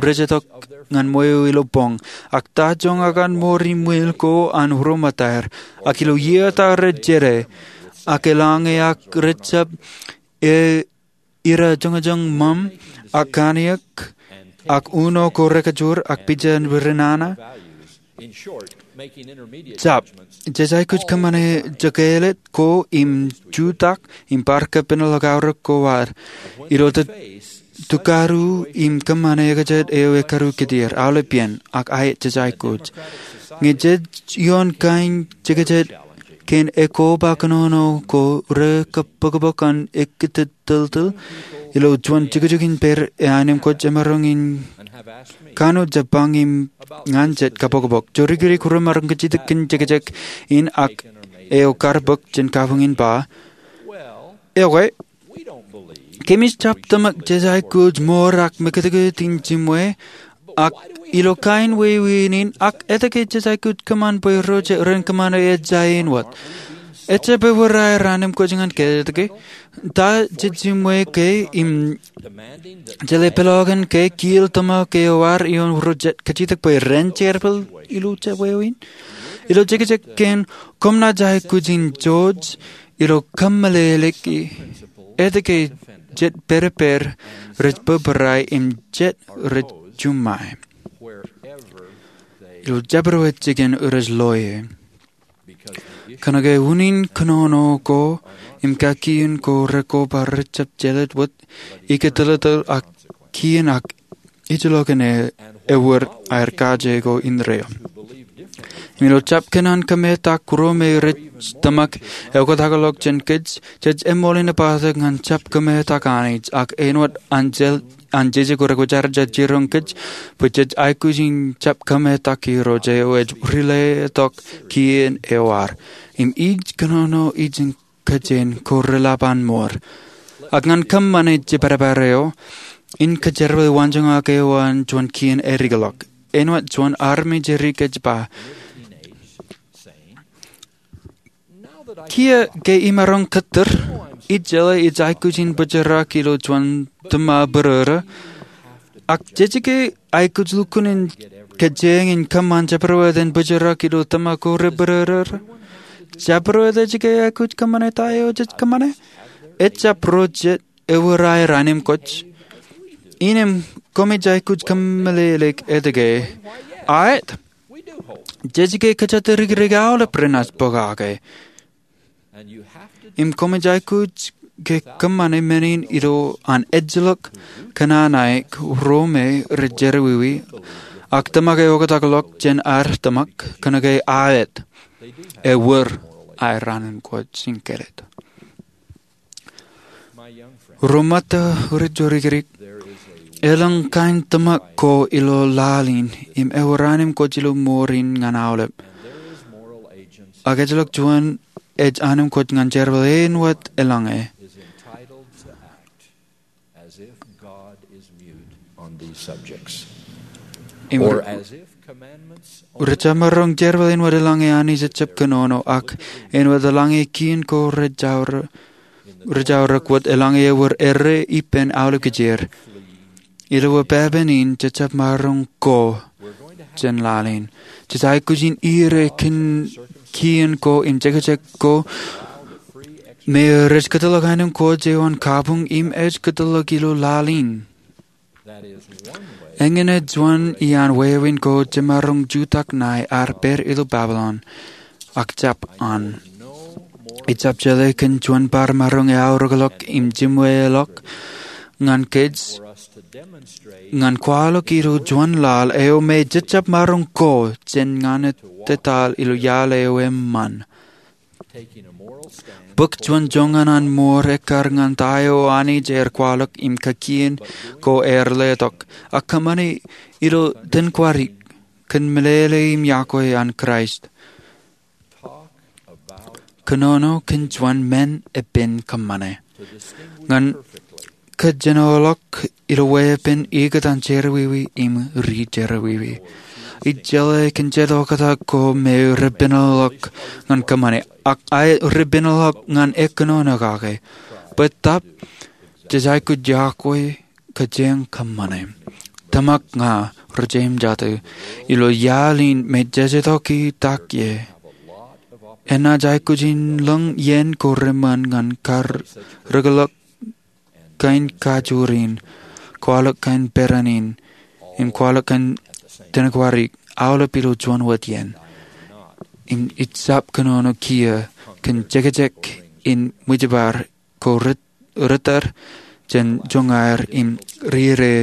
rej itok ñan ṃweo ilo boñ, ak ta joñak an ṃool ri ṃwil ko an ro ṃōttaer, ak ilo iiō ta rej jete, ak eḷaññe ak rej jab e ira joñjoñ ṃōṃ, ak kanniōk, ak uno ko rekajur, ak pija ri nana. Jab, jej aikuj kōṃṃane jekāālōt ko im jutak im bar kappin ḷọk aorōk ko ad ilo tukadu im kōṃṃane ekajet eo ekkadu kitier, aolep iien, ak aet jej aikuj. Ñe jej ioon kain jekjet kein ekoba kōnono ko rekabōkbōk an ekkūtōttōl ilo juon jukjuk in pād eo anemkwōj emaroñ in kanooj jab ba ñan jet kabōkbōk. Jorikirik remaroñ kajjitōk kōn jekjek in ak eo kar bōk jān kabuñ in ba, Ekwe, kōmij jab tōmak jej aikuj ṃoor ak mekūtkūt in jimwe, ak ilo kain wāween in, ak etke jej aikuj kōṃṃan bwe ro rej ren kōṃṃane ejja āinwōt? Ejjab ewōr aer anemkwōj ñan kōj etke? Ta jej jimwe ke im jeḷā peḷọkin ke kiil tōmak eo ad ioon ro jet kajjitōk bwe ren jerbal ilo jet wāween? Ilo jekjek kein, koṃ naaj aikuj in joj ilo kōmeḷeḷeiki etke jet pād ippād rej bōbrae im jet rej juṃae ilo jabdewōt jikin rej loe. Kōnke unin kōnono ko im kakien ko rekoba rejjab jelōt wōt ikōtilōtōl ak kien ak ejjeḷọkin ewōr aer kaje ko indeeo. Im ilo jab kōṇaan kōmetak ro me rej tōmak eoktakḷọk jān kōj, jej eṃṃool in epād ñan jab kōmetak Anij, ak āinwōt an jeje ko rekwōjarjar jiroñ kōj bwe jej aikuj in jab kōmetak Irooj eo ej riletok kien eo ad. Im ij kōnono ijin kōjin ko reḷap an ṃoor. Ak ñan kōṃṃane jibadbad eo in kōjerbale waanjoñak eo an juon kien eddekḷọk. Āinwōt juon armej edik ej ba, Kiiō ke imaroñ kōttar, ijeḷā ij aikuj in bōjrak ilo juon tōma bōrōrō. Ak jejjab ke aikuj lukkuun in kōjeañ in kōṃṃan jabdewōt in bōjrak ilo tōma ko rebōrōrō? Jabdewōt ej ke aikuj kōṃṃane ta eo jej kōṃṃane? Ejjab ro jet ewōr aer anemkwōj. Innām koṃij aikuj kōmeḷeḷeik etke? Aet. Jej ke kōjatdikdik aolep renaaj pokake. Im koṃij aikuj ke kōṃṃane men in ilo an ejjeḷọk kōnaan aō ro me rej jerọwiwi ak tōmak eoktakḷọk jān ad tōmak, kōnke aet, ewōr aer anemkwōj in kōlōt. Ro ṃōttan rijorikirik, elōñ kain tōmak ko ilo laḷ in im ewōr anemkwōj ilo mour in ñan aolep. Ak ejjeḷọk juon ej anemkwōj ñan jerbal āinwōt eḷaññe. Im rej jab maroñ jerbal āinwōt eḷaññe Anij ejjab kōnono, ak āinwōt eḷaññe kien ko rej aorōk wōt, eḷaññe ewōr errā ippān aolep kijeer. Ilo epepen in jej jab maroñ ko jān laḷ in. Jej aikuj in ire kōn kien ko im jekjek ko me rej kōtḷọk anemkwōj eo an kabuñ im ej kōtḷọk ilo laḷ in. Eñin ej juon iaan wāween ko jemaroñ jutak ṇae ad pād ilo Babilōn, ak jab an. Ejjab jeḷā kōn juon bar maroñ eaorōkḷọk im jimweḷọk ñan kōj ñan kwaḷọk ilo juon laḷ eo me jej jab maroñ ko jān ñan etetal ilo iaḷ eo eṃṃan. Bōk juon joñan an mour ekkar ñan ta eo Anij ear kwaḷọk im kakien ko ear letok, ak kōṃṃane ilo tōnkwadik kōn meḷeḷe im yokwe an Kraist. Kōnono kōn juon men epen kōṃṃane ñan kōjenoḷọk ilo weeppān ikōtaan jerọwiwi im rijerọwiwi. Ij jeḷā kōn jet oktak ko me repenḷọk ñan kōṃṃane, ak aer repenḷọk ñan ekōnono kake. Bwe tok, jej aikuj yokwe kōjeañ kōṃṃane. Tōmak ña rijimjate ilo iaḷ in me jej itok i tak ie. Enaaj aikuj in lōñ iien ko reṃṃan ñan karōkḷọk kain kajjoor in, kwaḷọk kain peran in, im kwaḷọk kain tōnkwadik, aolep ilo juon wōt iien. Im ij jab kōnono kiiō kōn jekjek in ṃwijbar ko rit- ritter jān joñaer im rire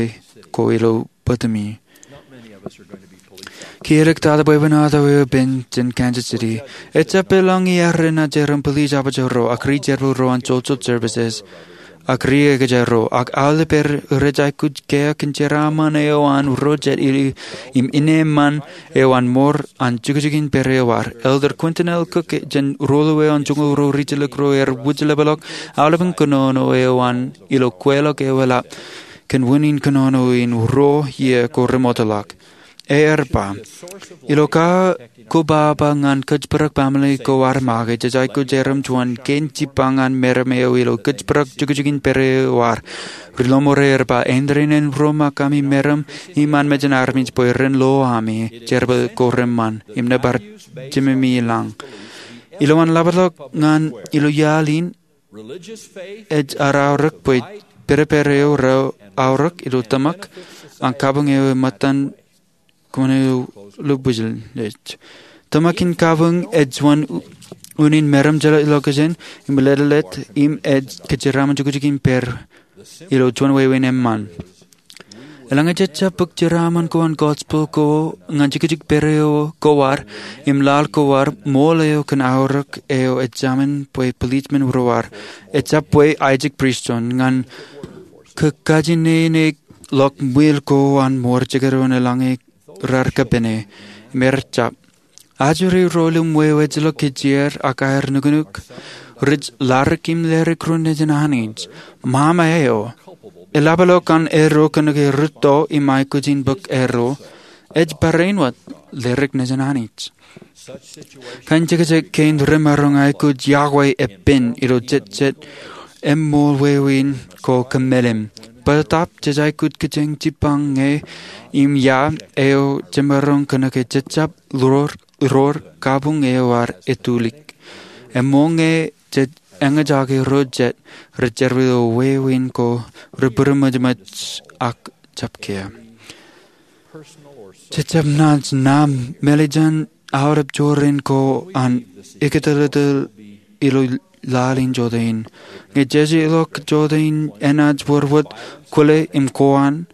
ko ilo bōtōmi. Kiiō ḷọk tata bwebwenato eo epen jān Kansas City. Ejjab eḷaññe ear enaaj erom police officer ro ak ri jerbal ro an social services ak ri ekōjā ro, ak aolep er rej aikuj kea kōn jeraaṃṃan eo an ro jet im ineeṃṃan eo an ṃoor an jukjukin pere eo ad. Elder Quentin L. Cook jān Ruo Ḷeo an Joñoul Ruo Ri Jilkinro ear wūjlepḷọk aolepen kōnono eo an ilo kweilọk eo eḷap kōn unin kōnono in ruo iiō ko remootḷọk. Ear ba, ilo kakobaba ñan kōjparok baaṃle ko ad make, jej aikuj erom juon kein jibba ñan meram eo ilo kōjparok jukjukin pere eo ad. Ri Ḷōṃoor ear ba, āindein en romakami meram iṃaan mejān armej bwe ren lo ami jerbal ko reṃṃan im nōbar jememi i lañ. Ilowaan ḷapḷọk ñan ilo iaḷ in, ej ad aorōk bwe pedped eo raorōk ilo tōmak an kabuñ eo eṃṃan ṃōttan kōṃṃane ḷubwilej. Tōmak in kabuñ ej juon unin meram jeḷā ḷọkjeṇ im leḷeḷe im ej kōjeraaṃṃan jukjukin pere ilo juon wāween eṃṃan. Eḷaññe jej jab bōk jeraaṃṃan ko an gospel ko ñan jukjuk pere eo ko ad im laḷ ko ad, ṃool eo kōn aorōk eo ejāmin bwe policemen ro ad, ejjab bwe Isaac Pearson, ñan kōkajinene ḷọk ṃwiil ko an ṃoor jekdọọn eḷaññe raar kōpene. Im ear jab ajri ro ilo ṃweo ejjeḷọk kijeer ak aer nuknuk, rej ladik im ledik ro nejin Anij. Ṃaṃa eo, eḷapḷọk an erro kōnke rūtto im aikuj in bōk erro, ej barāinwōt ledik nejin Anij. Kain jekjek kein remaroñ aikuj yokwe epen ilo jetjet eṃṃool wāween ko kōmālim. Bōtōb jej aikuj kijeñ jibbañ ñe im ia eo jemaroñ kōnke jej jab ḷoor, ḷoor kabuñ eo ad etulōk. Eṃṃool ñe jej eñjake ro jet rej jerbal ilo wāween ko rebūremōjmōj ak jab kea. Jej jab naaj ṇa mālejān aolep jorrāān ko an ikōtōtōl ilo laḷ in jota in. Ñe jejeḷọk jota in enaaj wōr wōt kwōle im kowaan,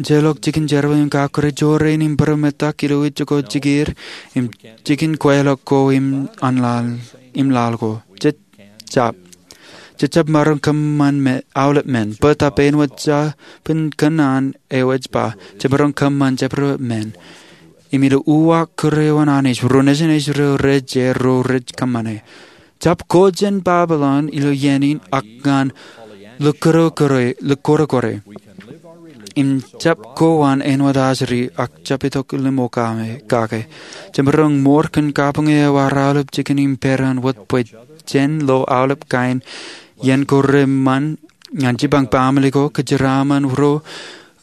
jeḷọk jikin jerbal im kakkure jorrāān im būroṃōttak ilo ijoko jikier im jikin kweilọk ko im an laḷ, im laḷ ko. Jej jab, jej jab maroñ kōṃṃan me aolep men, bōtōb āinwōt jabōn kōnono eo ej ba, jemaroñ kōṃṃan jabdewōt men. Im ilo uwaak kūr eo an Anij, ro nejin Israel rej, ro rej kōṃṃane. Jab ko jān Babilon ilo iien in ak ñan likūtkure, likūtkure. Im jab kowaan āinwōt ajri ak jab itok limokake. Jemaroñ ṃoor kōn kabuñ eo ad aolep jikin im peran wōt bwe jen lo aolep kain iien ko reṃṃan ñan jibbañ baaṃle ko, kōjeraaṃṃan ro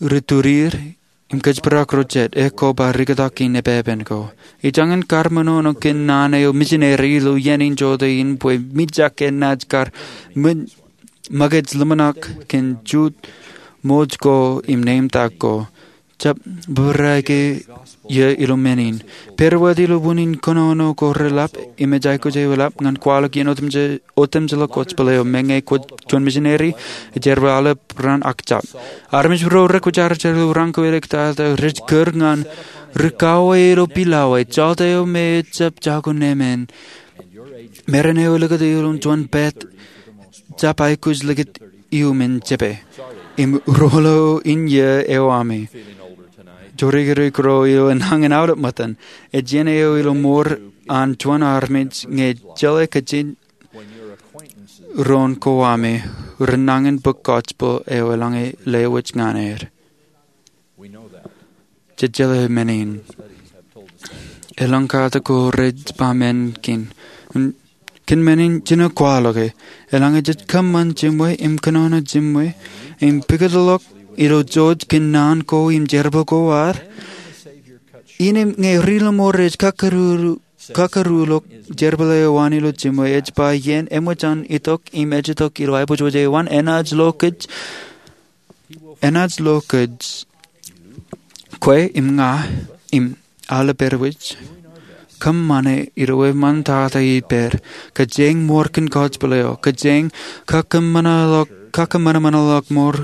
ri tudier, im kōjparok ro jet, ekwe ba rikōtak in epepen ko. Ij jañin kar ṃōṇōṇō kōn naan eo misineri ilo iien in jota in bwe mijak enaaj kar ṃōkaj ḷōmṇak kōn jutak ṃōj ko im neeṃtak ko. Jab bōbrae ke iiō ilo men in. Pād wōt ilo unin kōnono ko reḷap im ej aikuj eḷap ñan kwaḷọk iien otemjej, otemjej ḷọk gospel eo. Meñe kwōj juon misineri, ej jerbal aolep raan ak jab. Armej ro rekwōjarjar ilo raan ko iliktata rej kūr ñan rikaki ilo pilawā, jota eo me ejjab jako nemān. Meram eo elikūt ilo juon pād jab aikuj likūt iuṃwin jepe. Im ruo ḷeo in iiō eo ami. Jorikirik ro eo enañin aolep ṃōttan. Ej iien eo ilo ṃoor an juon armej ñe jeḷā kajin doon ko ami, renañin bōk gospel eo eḷaññe lewōj ñan er. Jej jeḷā men in. Elōñ katak ko rej ba men kein. Kōn men in, jino kwaḷọke. Eḷaññe jej kōṃṃan jiṃwe im kōnono jiṃwe im pukot ḷọk ilo jouj kōn naan ko im jerbal ko ad, innem ñe ri ḷōṃool rej kakkaruo, kakkaruo ḷọk jerbal eo an ilo jiṃwe, ej ba iien eṃōj an itok im ej itok ilo aiboojoj eo an, enaaj lo kōj, enaaj lo kōj, kwe im ña im aolep rej kōṃṃane ilo eṃṃantata ippād, kōjeañ ṃoor kōn gospel eo, kōjeañ kakōṃṃanḷọk, kakōṃanṃanḷọk ṃoor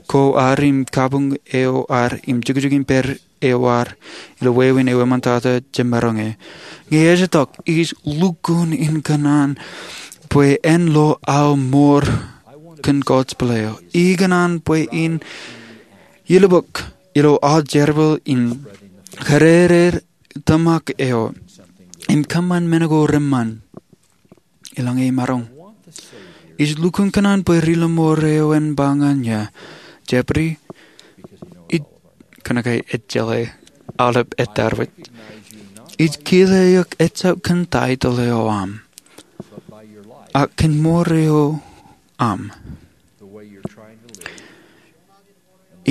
ko ad im kabuñ eo ad im jukjukin pere ewōr ilo wāween ewi eṃṃantata jemaroñ e. Ñe ej tok, ij lukkuun in kōṇaan bwe en lo aō mour kōn gospel eo. Ikōṇaan bwe in ilubuk ilo aō jerbal in kōrere tōmak eo im kōṃṃan men ko reṃṃan. Ilañ e maroñ. Ij lukkuun kōṇaan bwe ri-lọmọọr eo en ba ñan eō, Jeffrey, ij, kōnke ejjeḷọk aolep etarwōj. Ij kile eok ejjab kōn title eo aṃ, ak kōn mour eo aṃ.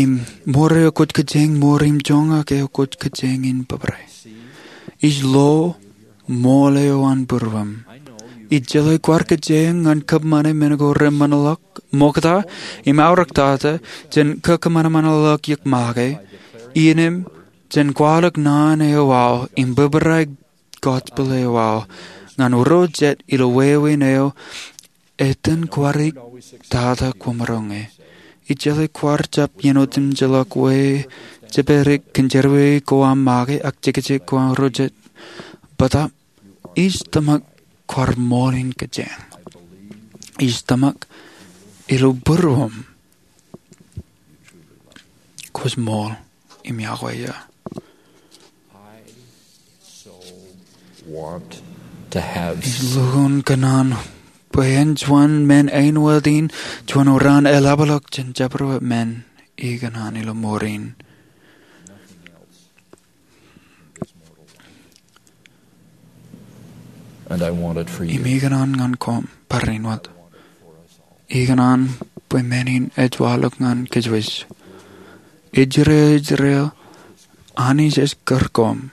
Im mour eo kwōj kōjeañ mour im joñak eo kwōj kōjeañ in bōbrae. Ij lo ṃool eo an būruōṃ. Ij jeḷā kwaar kōjeañ ñan kōṃṃane men ko reṃṃanḷọk ṃokta im aorōktata jān kakōṃanṃanḷọk eok make, innem jān kwaḷọk naan eo aō im bōbrae gospel eo aō ñan ro jet ilo wāween eo etan kwaar tata kwōmaroñ e. Ij jeḷā kwaar jab iien otemjejḷọk wōt jepād kōn jerọwiwi ko aṃ make ak jekjek ko aṃ ro jet. Bōtaab, ij tōmak kwaar ṃool in kōjeañ. Ij tōmak ilo būruōṃ kwōj ṃool im yokwe eō. Want to have Ij lukkuun kōṇaan bwe en juon men āinwōt in juon ro an eḷapḷọk jān jabdewōt men ikōṇaan ilo mour in. And I want it for you. Im ikōṇaan ñan koṃ barāinwōt. Ikōṇaan bwe men in ej waḷọk ñan kōjwōj. Israel, Israel, Anij ej kūr koṃ.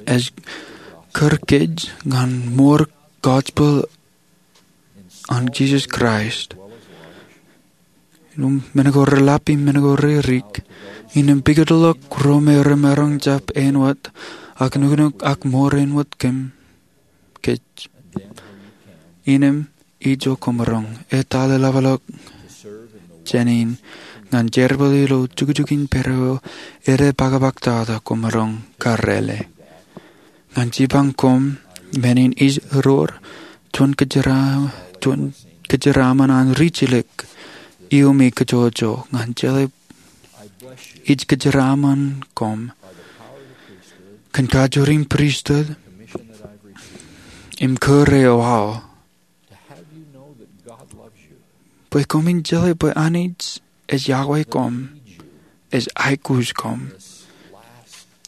Ej kūr kōj ñan mour gospel an Jisōs Kraist. Im men ko reḷap im men ko reirik. Innām pukotḷọk ro me remaroñ jab āinwōt, ak nuknuk ak mour āinwōt kōm kōj. Innām ijo kwōmaroñ, etal eḷapḷọk jān in ñan jerbal ilo jukjuk in pād eo edepakpaktata kwōmaroñ karrele. Ñan jipañ koṃ men in ij roor, juon kōjeraaṃ, juon kōjeraaṃṃan an rijjilōk, iuṃwin kōjwōjwōj ñan jeḷā ij kōjeraaṃṃan koṃ kōn kajoor in pristut im kūr eo aō. Bwe koṃwin jeḷā bwe Anij ej yokwe koṃ, ej aikuj koṃ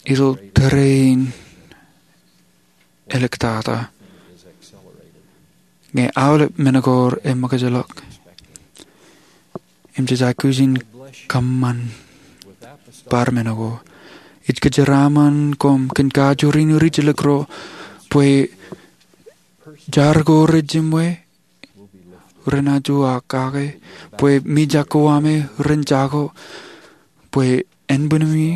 ilo tōre in āliktata. Ñe aolep men ko reṃōkajḷọk im jej aikuj in kōṃṃan bar men ko, ij kōjeraaṃṃan koṃ kōn kajoor in rijjilōk ro, bwe jar ko rejiṃwe renaaj uwaak kake, bwe mijak ko aṃe ren jako, bwe ānbwinnemi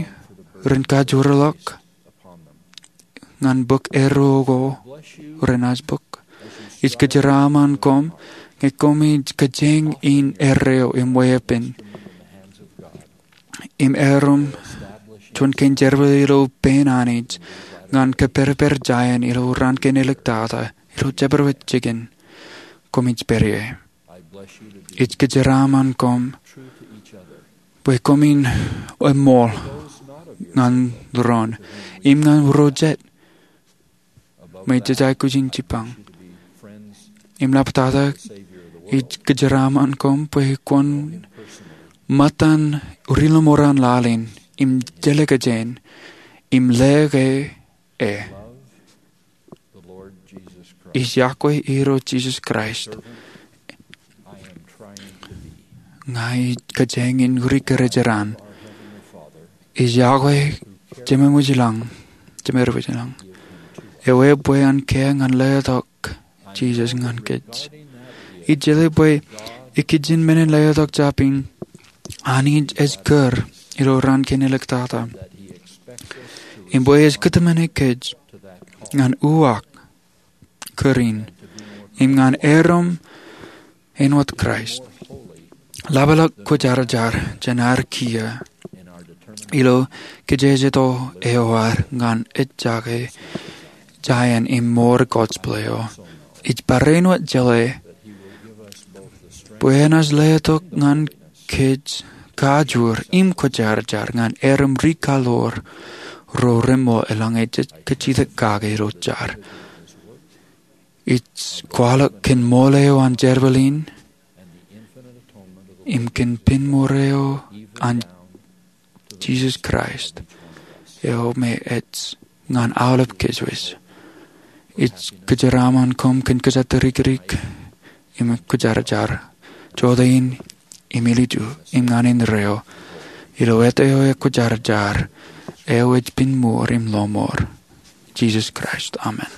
ren kajoorḷọk ñan bōk erro ko renaaj bōk. Ij kōjeraaṃṃan koṃ ñe koṃij kōjeañ in erreo im weeppān im erom juon kein jerbal ilo pein Anij ñan kōpedped jāān ilo raan kein āliktata ilo jabdewōt jikin koṃij pād ie. Ij kōjeraaṃṃan koṃ bwe koṃwin eṃool ñan doon im ñan ro jet ṃōj jej aikuj in jipañ. Im ḷaptata, ij kōjeraaṃṃan koṃ bwe kwōn ṃōttan ri-lọmọọr an laḷ in im jelōkjein im leḷọk e. Ij yokwe Irooj Jisōs Kraist. Ña ij kōjeañ in ri-kōrejeraṇ. Ij yokwe Jemem wōj ilañ, Jemem wōj ilañ, eo ebwe an kiiō ñan letok Jisōs ñan kōj. Ij jeḷā bwe ikijjien men in letok jab in, Anij ej kūr ilo raan kein āliktata. Im bwe ej kōtmāne kōj ñan uwaak kūr in im ñan erom āinwōt Kraist. Ḷapḷọk kwōjarjar jān ad kiiō Ilo kijejeto eo ad ñan ejjake jān im mour gospel eo, ij barāinwōt jeḷā bwe enaaj letok ñan kōj kajoor im kwōjarjar ñan erom ri kaḷoor ro reṃṃool eḷaññe jej kajjitōk kake ilo jar. Ij kwaḷọk kōn ṃool eo an jerbal in im kōn pinmour eo an Jisōs Kraist eo me ej ñan aolep kōjwōj. Ij kōjeraaṃṃan koṃ kōn kōjatdikdik im kwōjarjar jota in im ilju im ñan indeeo ilo āt eo ekwōjarjar eo ej pinmour im lọmọọr, Jisōs Kraist, amen.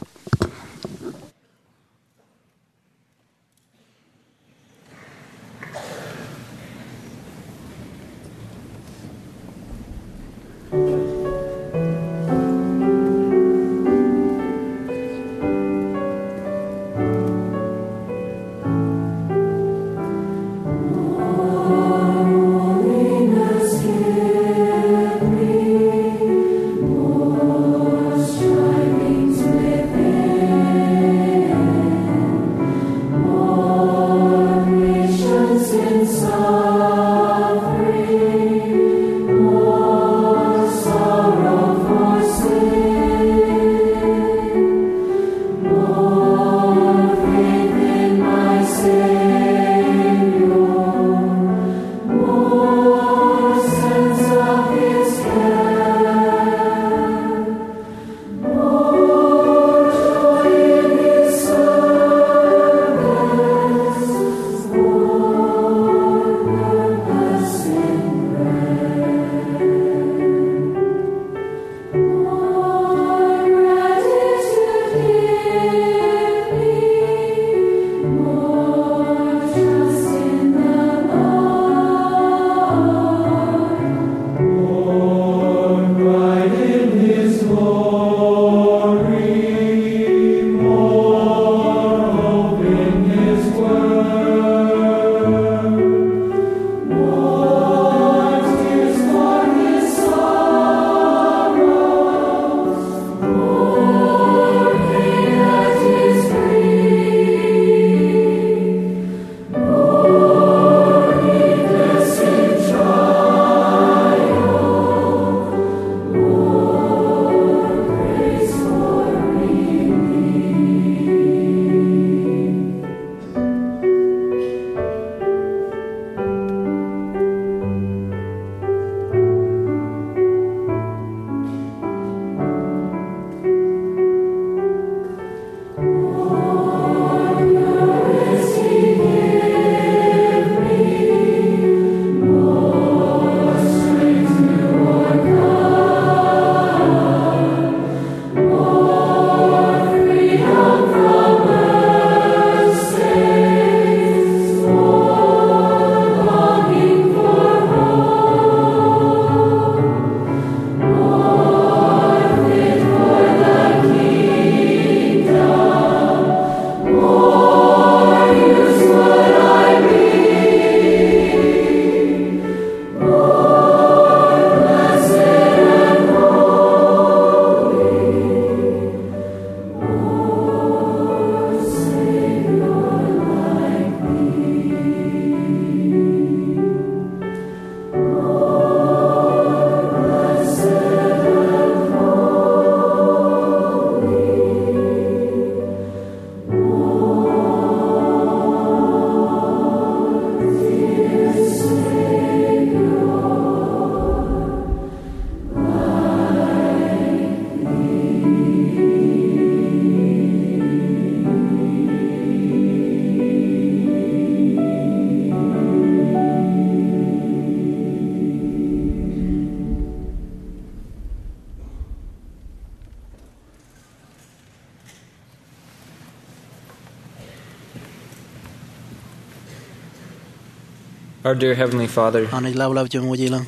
Our dear Heavenly Father, Anij Lapalap Jemem wōj ilañ,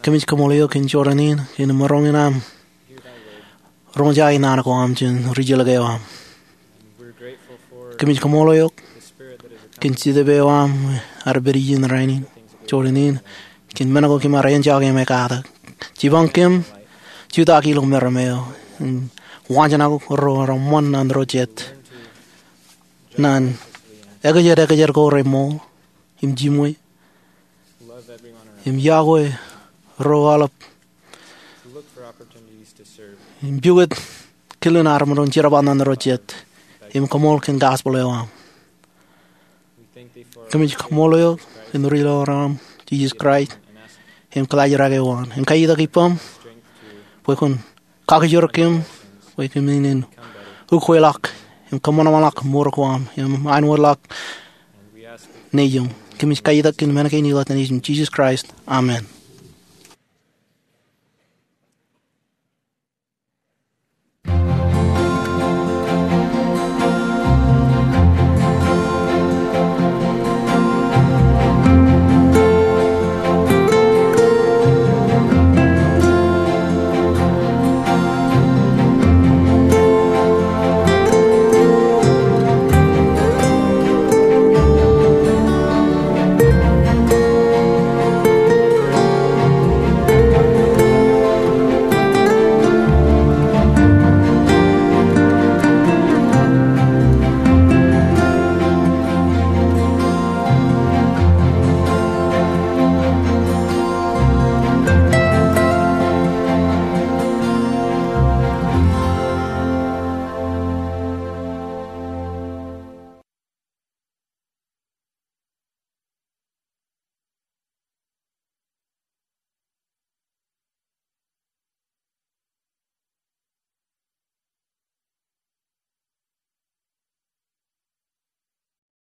kōmij kaṃṃoolol eok kōn jorrāān in, kōn maroñ in aṃ roñjake naan ko aṃ jān ri-jeḷā ko aṃ. Kōmij kaṃṃoolol eok kōn Jetōb eo aṃ ear pād ijin rainin, jorrāān in, kōn men ko kōm ar enjoy im ekatak. Jipañ kōm jutak ilo meram eo im waajnak ro reṃṃan ñan ro jet, ñan ekjed ekjed ko remool im jimwe, im yokwe ro aolep, im pukot kilen armej ro jerbal ñan ro jet, im koṃṃool kōn gospel eo aṃ. Kōmij kaṃṃool eok im ri-lọmọọr eo aṃ, Jisōs Kraist, im kaḷajrake waan im kaiitak ippaṃ bwe kwōn kakijoor kōm bwe kōm in ukweḷọk im kōṃanṃanḷọk mour ko aṃ im āinwōtḷọk nejūṃ. Kōmij kaiitak kōn men kein ilo etan Nejūṃ Jisōs Kraist, amen.